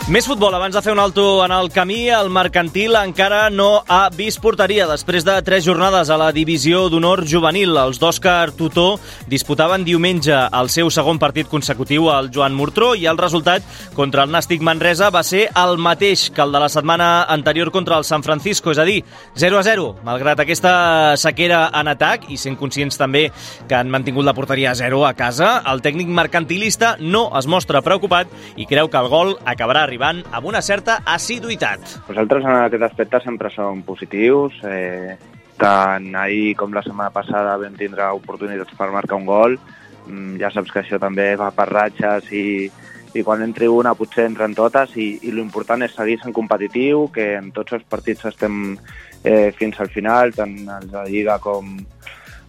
Més futbol, abans de fer un alto en el camí, el Mercantil encara no ha vist porteria. Després de 3 jornades a la divisió d'honor juvenil, els d'Òscar Tutó disputaven diumenge el seu segon partit consecutiu al Joan Murtró i el resultat contra el Nàstic Manresa va ser el mateix que el de la setmana anterior contra el San Francisco, és a dir, 0-0. Malgrat aquesta sequera en atac i sent conscients també que han mantingut la porteria a 0 a casa, el tècnic mercantilista no es mostra preocupat i creu que el gol acabarà arribant amb una certa assiduïtat. Nosaltres en aquest aspecte sempre som positius, tant ahir com la setmana passada vam tindre oportunitats per marcar un gol, ja saps que això també va per ratxes i quan entri una potser entren totes i l'important és seguir sent competitiu, que en tots els partits estem fins al final, tant els de Lliga com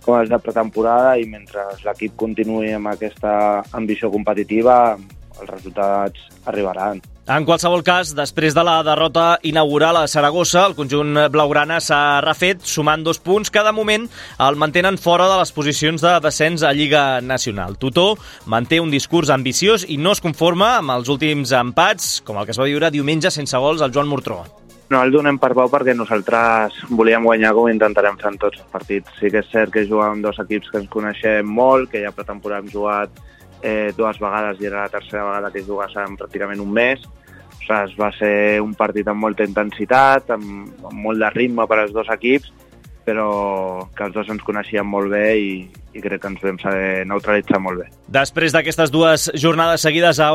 els de pretemporada, i mentre l'equip continuï amb aquesta ambició competitiva els resultats arribaran. En qualsevol cas, després de la derrota inaugural a Saragossa, el conjunt blaugrana s'ha refet sumant 2 punts que de moment el mantenen fora de les posicions de descens a Lliga Nacional. Tutó manté un discurs ambiciós i no es conforma amb els últims empats, com el que es va viure diumenge sense gols al Joan Murtró. No el donem per bo perquè nosaltres volíem guanyar com intentarem fer en tots els partits. Sí que és cert que jugàvem amb 2 equips que ens coneixem molt, que ja pretemporada hem jugat 2 vegades i era la tercera vegada que jugassem pràcticament un mes. Ostres, va ser un partit amb molta intensitat, amb molt de ritme per als 2 equips, però que els 2 ens coneixien molt bé i crec que ens vam saber neutralitzar molt bé. Després d'aquestes 2 jornades seguides a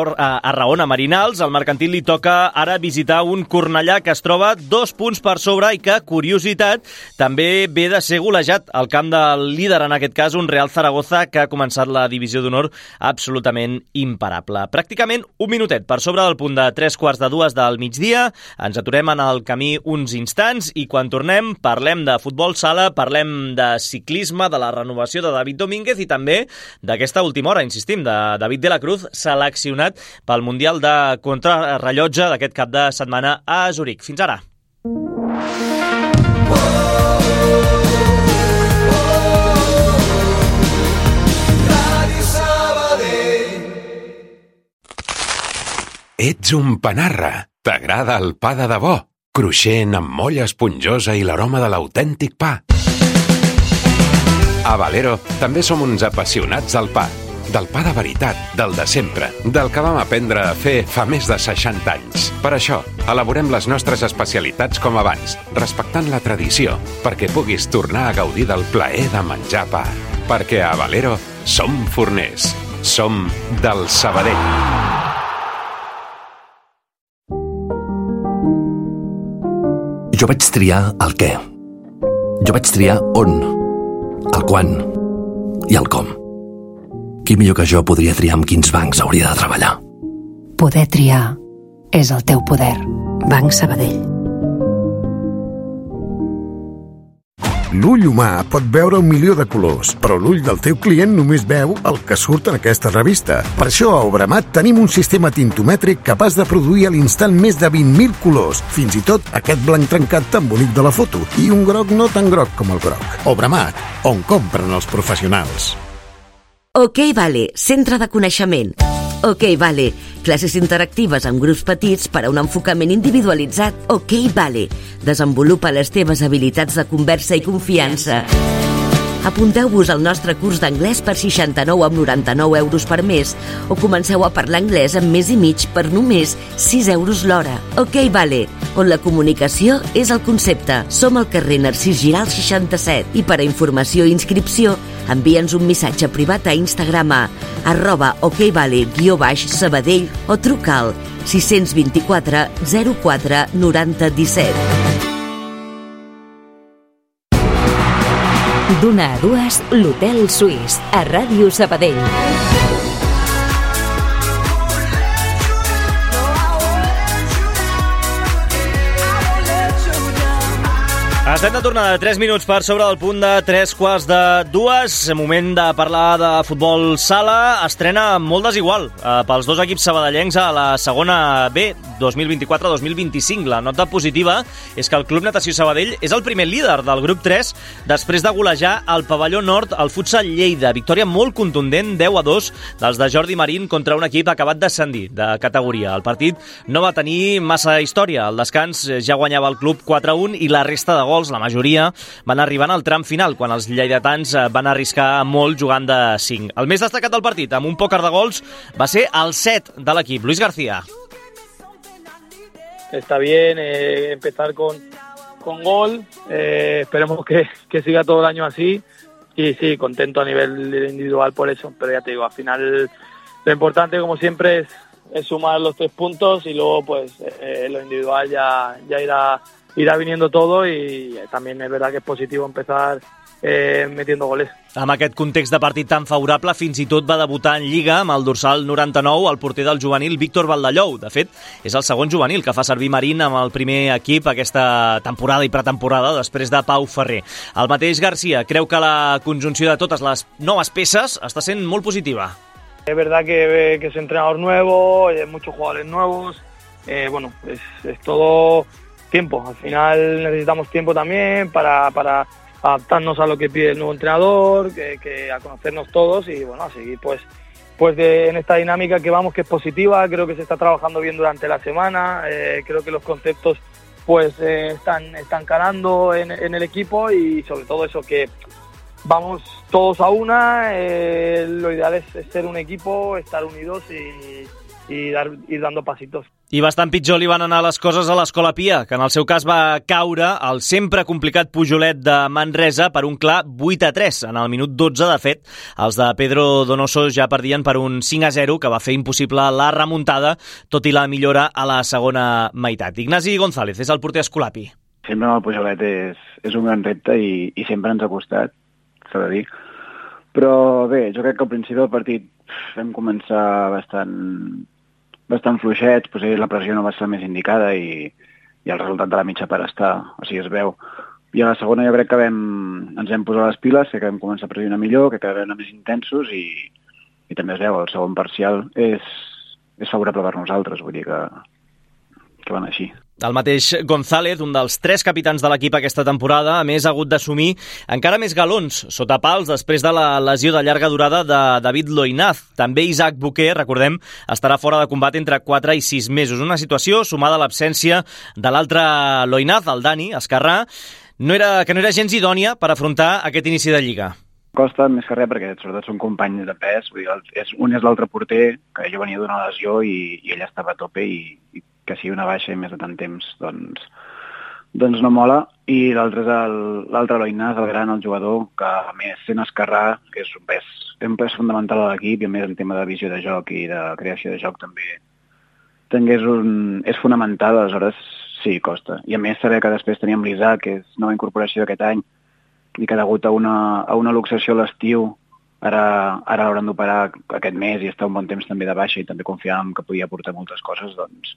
Raona Marinals, al Mercantil li toca ara visitar un Cornellà que es troba 2 punts per sobre i que, curiositat, també ve de ser golejat al camp del líder, en aquest cas un Real Zaragoza que ha començat la divisió d'honor absolutament imparable. Pràcticament un minutet per sobre del punt de 3:45 del migdia. Ens aturem en el camí uns instants i quan tornem parlem de futbol sala, parlem de ciclisme, de la renovació de David Domínguez i també d'aquesta última hora, insistim, de David de la Cruz, seleccionat pel Mundial de Contrarrellotge d'aquest cap de setmana a Zuric. Fins ara. Ets un panarra. T'agrada el pa de debò? Cruixent, amb molla esponjosa i l'aroma de l'autèntic pa. A Valero també som uns apassionats del pa. Del pa de veritat, del de sempre, del que vam aprendre a fer fa més de 60 anys. Per això, elaborem les nostres especialitats com abans, respectant la tradició, perquè puguis tornar a gaudir del plaer de menjar pa. Perquè a Valero som forners. Som del Sabadell. Jo vaig triar el què. Jo vaig triar on, el quan i el com. Qui millor que jo podria triar amb quins bancs hauria de treballar? Poder triar és el teu poder. Banc Sabadell. L'ull humà pot veure 1 milió de colors, però l'ull del teu client només veu el que surt en aquesta revista. Per això a Obramat tenim un sistema tintomètric capaç de produir a l'instant més de 20.000 colors, fins i tot aquest blanc trencat tan bonic de la foto, i un groc no tan groc com el groc. Obramat, on compren els professionals. OK Vale, centre de coneixement. OK Vale. Classes interactives amb grups petits per a un enfocament individualitzat. OK Vale. Desenvolupa les teves habilitats de conversa i confiança. Apunteu-vos al nostre curs d'anglès per 69,99 € per mes o comenceu a parlar anglès en mes i mig per només 6 € l'hora. OK Vale, on la comunicació és el concepte. Som al carrer Narcís Giral 67 i per a informació i inscripció envia'ns un missatge privat a Instagram a @okvale_Sabadell o truca al 624 04 90 17. D'una a dues, l'Hotel Suís, a Ràdio Sabadell. Estem de tornada, 3 minuts per sobre del punt de 3:45. Moment de parlar de futbol sala. Estrena molt desigual pels dos equips sabadellencs a la segona B 2024-2025. La nota positiva és que el Club Natació Sabadell és el primer líder del grup 3 després de golejar al pavelló nord al Futsal Lleida. Victòria molt contundent, 10-2, dels de Jordi Marín contra un equip acabat d'ascendir de categoria. El partit no va tenir massa història. Al descans ja guanyava el club 4-1 i la resta de gols, la majoria, van arribant al tram final, quan els lleidatans van arriscar molt jugant de 5. El més destacat del partit, amb un pòquer de gols, va ser el 7 de l'equip. Luis García. Está bien empezar con gol, esperemos que siga todo el año así y sí, contento a nivel individual por eso, pero ya te digo, al final lo importante como siempre es sumar los 3 puntos y luego pues lo individual ya irá viniendo todo y también es verdad que es positivo empezar metiendo goles. Amb aquest context de partit tan favorable, fins i tot va debutar en Lliga amb el dorsal 99 el porter del juvenil Víctor Valdellou. De fet, és el segon juvenil que fa servir Marín amb el primer equip aquesta temporada i pretemporada després de Pau Ferrer. El mateix García creu que la conjunció de totes les noves peces està sent molt positiva. Es verdad que es entrenador nuevo, muchos jugadores nuevos, bueno, es todo tiempo. Al final necesitamos tiempo también para adaptarnos a lo que pide el nuevo entrenador, que a conocernos todos y bueno, a seguir pues en esta dinámica que vamos, que es positiva. Creo que se está trabajando bien durante la semana, creo que los conceptos pues están calando en el equipo y sobre todo eso, que vamos todos a una, lo ideal es ser un equipo, estar unidos y ir dando pasitos. I bastant pitjor li van anar les coses a l'Escola Pia, que en el seu cas va caure al sempre complicat Pujolet de Manresa per un clar 8-3. En el minut 12, de fet, els de Pedro Donoso ja perdien per un 5-0, que va fer impossible la remuntada, tot i la millora a la segona meitat. Ignasi González és el porter escolapi. Sempre el Pujolet és un gran repte i sempre ens ha costat, s'ha de dir. Però bé, jo crec que al principi del partit vam començar bastant fluixets, potser la pressió no va ser la més indicada i el resultat de la mitja part o sigui, es veu. I a la segona jo crec que ens vam posar les piles, que vam començar a pressionar millor, que vam anar més intensos i també es veu, el segon parcial és favorable per nosaltres, vull dir que van així. El mateix González, un dels 3 capitans de l'equip aquesta temporada, a més ha hagut d'assumir encara més galons sota pals després de la lesió de llarga durada de David Loinaz. També Isaac Boquer, recordem, estarà fora de combat entre 4 i 6 mesos. Una situació sumada a l'absència de l'altre Loinaz, el Dani Escarrà, que no era gens idònia per afrontar aquest inici de Lliga. Costa més que res perquè sobretot són companys de pes, vull dir, un és l'altre porter, que jo venia d'una lesió i ell estava a tope i que sigui una baixa i més de tant temps, doncs no mola. I l'altre és l'altre Loinaz, el gran, el jugador, que a més sent esquerrà, que és un pes fundamental a l'equip i a més el tema de visió de joc i de creació de joc també és fonamental, aleshores sí, costa. I a més saber que després teníem l'Isaac, que és nova incorporació d'aquest any, i que degut a una luxació a l'estiu, ara l'hauran d'operar aquest mes i està un bon temps també de baixa i també confiàvem que podia aportar moltes coses, doncs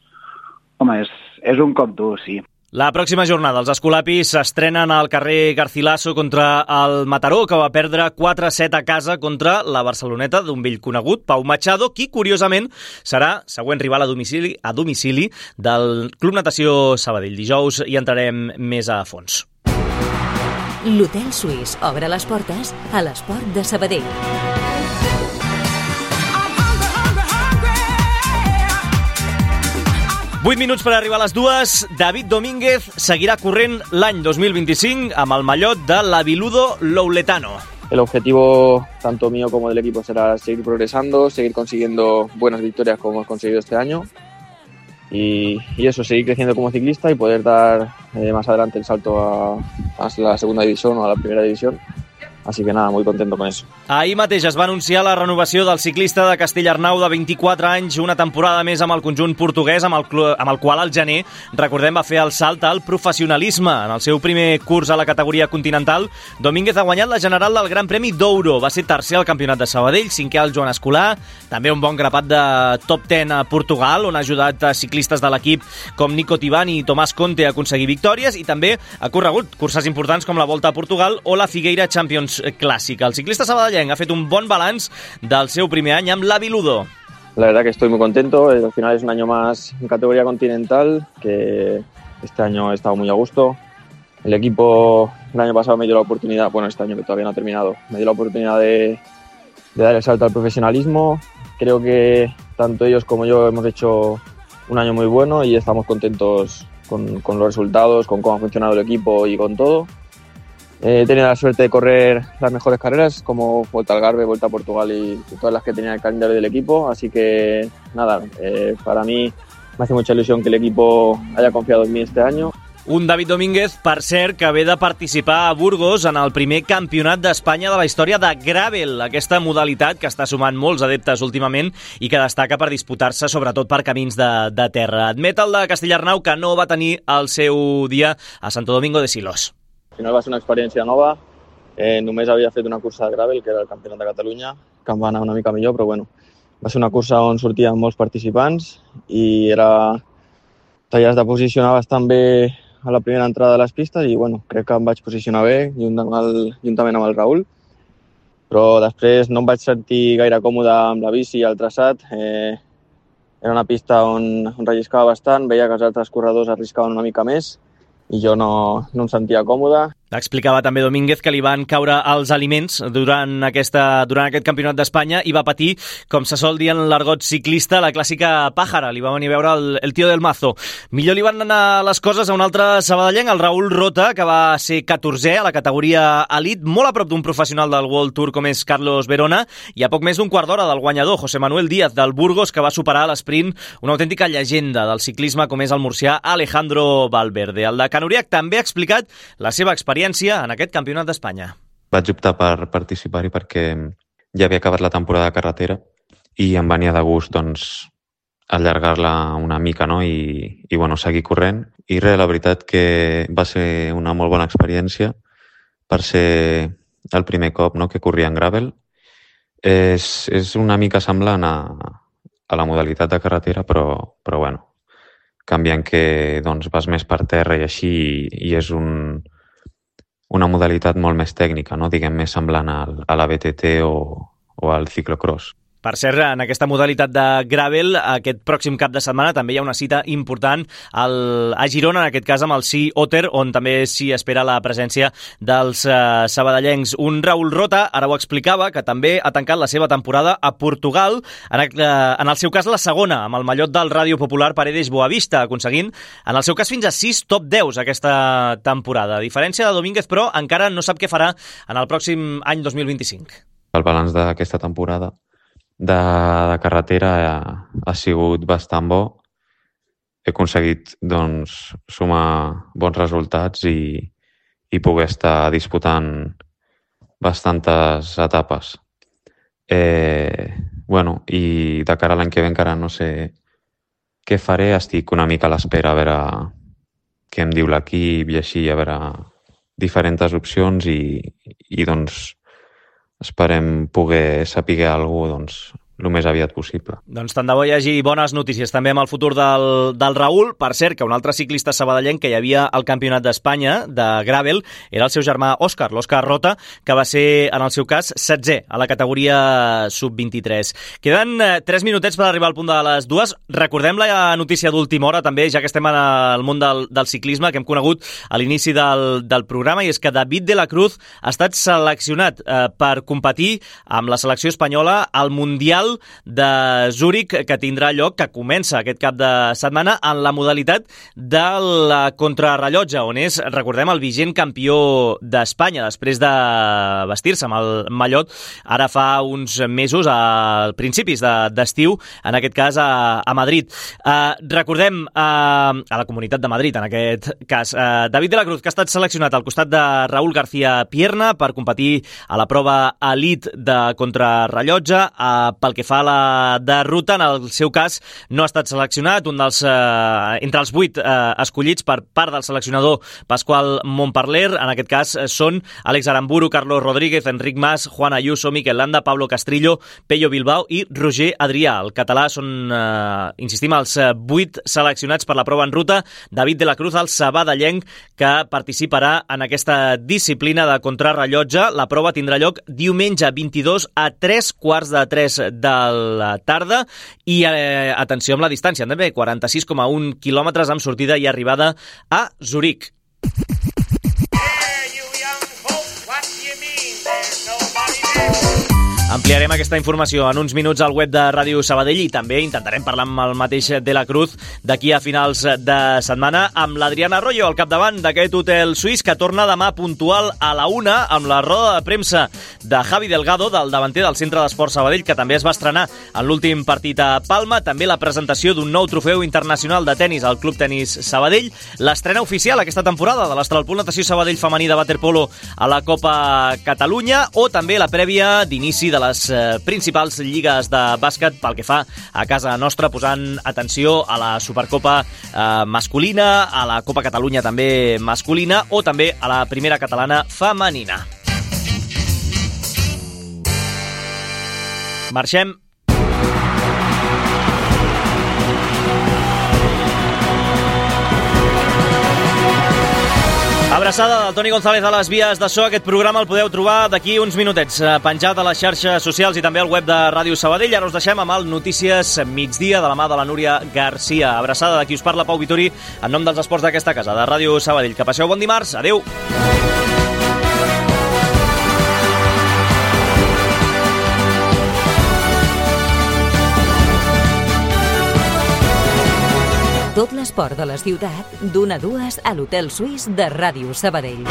home, és un cop dur, sí. La pròxima jornada els escolapis s'estrenen al carrer Garcilaso contra el Mataró, que va perdre 4-7 a casa contra la Barceloneta d'un vell conegut, Pau Machado, qui curiosament serà següent rival a domicili del Club Natació Sabadell. Dijous hi entrarem més a fons. L'Hotel Suís obre les portes a l'esport de Sabadell. 8 minuts per arribar a les 2. David Domínguez seguirà corrent l'any 2025 amb el mallot de l'Aviludo Louletano. El objetivo tanto mío como del equipo será seguir progresando, seguir consiguiendo buenas victorias como hemos conseguido este año y eso, seguir creciendo como ciclista y poder dar más adelante el salto a la segunda división o a la primera división. Así que nada, muy contento con eso. Ahir mateix es va anunciar la renovació del ciclista de Castellarnau de 24 anys, una temporada més amb el conjunt portuguès, amb el qual al gener, recordem, va fer el salt al professionalisme. En el seu primer curs a la categoria continental, Domínguez ha guanyat la general del Gran Premi d'Ouro. Va ser tercer al Campionat de Sabadell, cinquè al Joan Escolar, també un bon grapat de top 10 a Portugal, on ha ajudat a ciclistes de l'equip com Nico Tibani i Tomàs Conte a aconseguir victòries, i també ha corregut curses importants com la Volta a Portugal o la Figueira Champions clàssica. El ciclista sabadellenc ha fet un bon balanç del seu primer any amb l'Aviludo. La verdad que estoy muy contento. Al final es un año más en categoría continental, que este año he estado muy a gusto. El equipo el año pasado me dio la oportunidad, bueno, este año que todavía no ha terminado, me dio la oportunidad de dar el salto al profesionalismo. Creo que tanto ellos como yo hemos hecho un año muy bueno y estamos contentos con los resultados, con cómo ha funcionado el equipo y con todo. He tenido la suerte de correr las mejores carreras como Volta al Algarve, Volta a Portugal y todas las que tenía el calendario del equipo, así que nada, para mí me hace mucha ilusión que el equipo haya confiado en mí este año. Un David Domínguez, per cert, que ve de participar a Burgos en el primer campionat d'Espanya de la història de Gravel, aquesta modalitat que està sumant molts adeptes últimament i que destaca per disputar-se sobretot per camins de terra. Admet el de Castellarnau que no va tenir el seu dia a Santo Domingo de Silos. Al final va ser una experiència nova, només havia fet una cursa de gravel, que era el Campionat de Catalunya, que em va anar una mica millor, però bueno, va ser una cursa on sortien molts participants i t'havies de posicionar bastant bé a la primera entrada de les pistes i bueno, crec que em vaig posicionar bé juntament amb el Raül, però després no em vaig sentir gaire còmode amb la bici i el traçat. Era una pista on relliscava bastant, veia que els altres corredors arriscaven una mica més i jo no em sentia còmode. Explicava també Domínguez que li van caure els aliments durant aquest campionat d'Espanya i va patir, com se sol dir en l'argot ciclista, la clàssica pàjara. Li va venir a veure el tio del mazo. Millor li van anar les coses a un altre sabadellenc, el Raül Rota, que va ser 14è a la categoria Elite, molt a prop d'un professional del World Tour com és Carlos Verona, i a poc més d'un quart d'hora del guanyador, José Manuel Díaz, del Burgos, que va superar a l'esprint una autèntica llegenda del ciclisme com és el murcià Alejandro Valverde. El de Canuriac també ha explicat la seva experiència en aquest campionat d'Espanya. Vaig optar per participar-hi perquè ja havia acabat la temporada de carretera i em venia de gust doncs, allargar-la una mica, no? I bueno, seguir corrent. I res, la veritat que va ser una molt bona experiència per ser el primer cop, no?, que corria en gravel. És una mica semblant a la modalitat de carretera, però bueno, canviant que doncs, vas més per terra i així, i és una modalitat molt més tècnica, no? Diguem, més semblant a la BTT o al ciclocross. Per cert, en aquesta modalitat de gravel, aquest pròxim cap de setmana també hi ha una cita important a Girona, en aquest cas amb el Sea Otter, on també s'hi espera la presència dels sabadellencs. Un Raül Rota, ara ho explicava, que també ha tancat la seva temporada a Portugal, en el seu cas la segona, amb el mallot del Ràdio Popular Paredes Boavista, aconseguint, en el seu cas, fins a 6 top 10 aquesta temporada. A diferència de Domínguez, però, encara no sap què farà en el pròxim any 2025. El balanç d'aquesta temporada de carretera ha sigut bastant bo. He aconseguit doncs, sumar bons resultats i poder estar disputant bastantes etapes. Bueno, i de cara a l'any que ve encara no sé què faré, estic una mica a l'espera a veure què em diu l'equip i així, a veure diferents opcions i doncs esperem poder saber alguna cosa doncs, el més aviat possible. Doncs tant de bo hi hagi bones notícies també amb el futur del Raül. Per cert, que un altre ciclista sabadellenc que hi havia al Campionat d'Espanya de gravel era el seu germà Òscar, l'Òscar Rota, que va ser, en el seu cas, 16è a la categoria sub-23. Queden 3 minutets per arribar al punt de les 2. Recordem la notícia d'última hora també, ja que estem en el món del ciclisme, que hem conegut a l'inici del programa, i és que David de la Cruz ha estat seleccionat per competir amb la selecció espanyola al Mundial Mundial de Zúrich que tindrà lloc, que comença aquest cap de setmana en la modalitat del contrarrellotge, on és, recordem, el vigent campió d'Espanya després de vestir-se amb el mallot ara fa uns mesos, a principis d'estiu, en aquest cas a Madrid. Recordem a la Comunitat de Madrid, en aquest cas, David de la Cruz, que ha estat seleccionat al costat de Raúl García Pierna per competir a la prova elit de contrarrellotge. Pel que fa a la de ruta, en el seu cas no ha estat seleccionat, entre els 8 escollits per part del seleccionador Pasqual Montparler. En aquest cas són Àlex Aramburu, Carlos Rodríguez, Enric Mas, Juan Ayuso, Miquel Landa, Pablo Castrillo, Pello Bilbao i Roger Adrià. El català són, insistim, els 8 seleccionats per la prova en ruta. David de la Cruz, el sabadellenc, que participarà en aquesta disciplina de contrarrellotge. La prova tindrà lloc diumenge 22 a 3:15 de la tarda i atenció amb la distància, també 46,1 quilòmetres amb sortida i arribada a Zurich. Ampliarem aquesta informació en uns minuts al web de Ràdio Sabadell i també intentarem parlar amb el mateix de la Cruz d'aquí a finals de setmana amb l'Adriana Arroyo al capdavant d'aquest hotel suís, que torna demà puntual a la 1 amb la roda de premsa de Javi Delgado, del davanter del Centre d'Esport Sabadell, que també es va estrenar en l'últim partit a Palma. També la presentació d'un nou trofeu internacional de tennis al Club Tenis Sabadell, l'estrena oficial aquesta temporada de l'Astralpool Natació Sabadell femení de waterpolo a la Copa Catalunya, o també la prèvia d'inici de les principals lligues de bàsquet pel que fa a casa nostra, posant atenció a la Supercopa masculina, a la Copa Catalunya també masculina, o també a la primera catalana femenina. Marxem. Abraçada del Toni González a les vies de so. Aquest programa el podeu trobar d'aquí uns minutets penjat a les xarxes socials i també al web de Ràdio Sabadell. Ara us deixem amb el Notícies Migdia de la mà de la Núria Garcia. Abraçada de qui us parla, Pau Vituri, en nom dels esports d'aquesta casa, de Ràdio Sabadell. Que passeu bon dimarts. Adéu. Tot l'esport de la ciutat, d'1 a 2 a l'Hotel Suís de Ràdio Sabadell.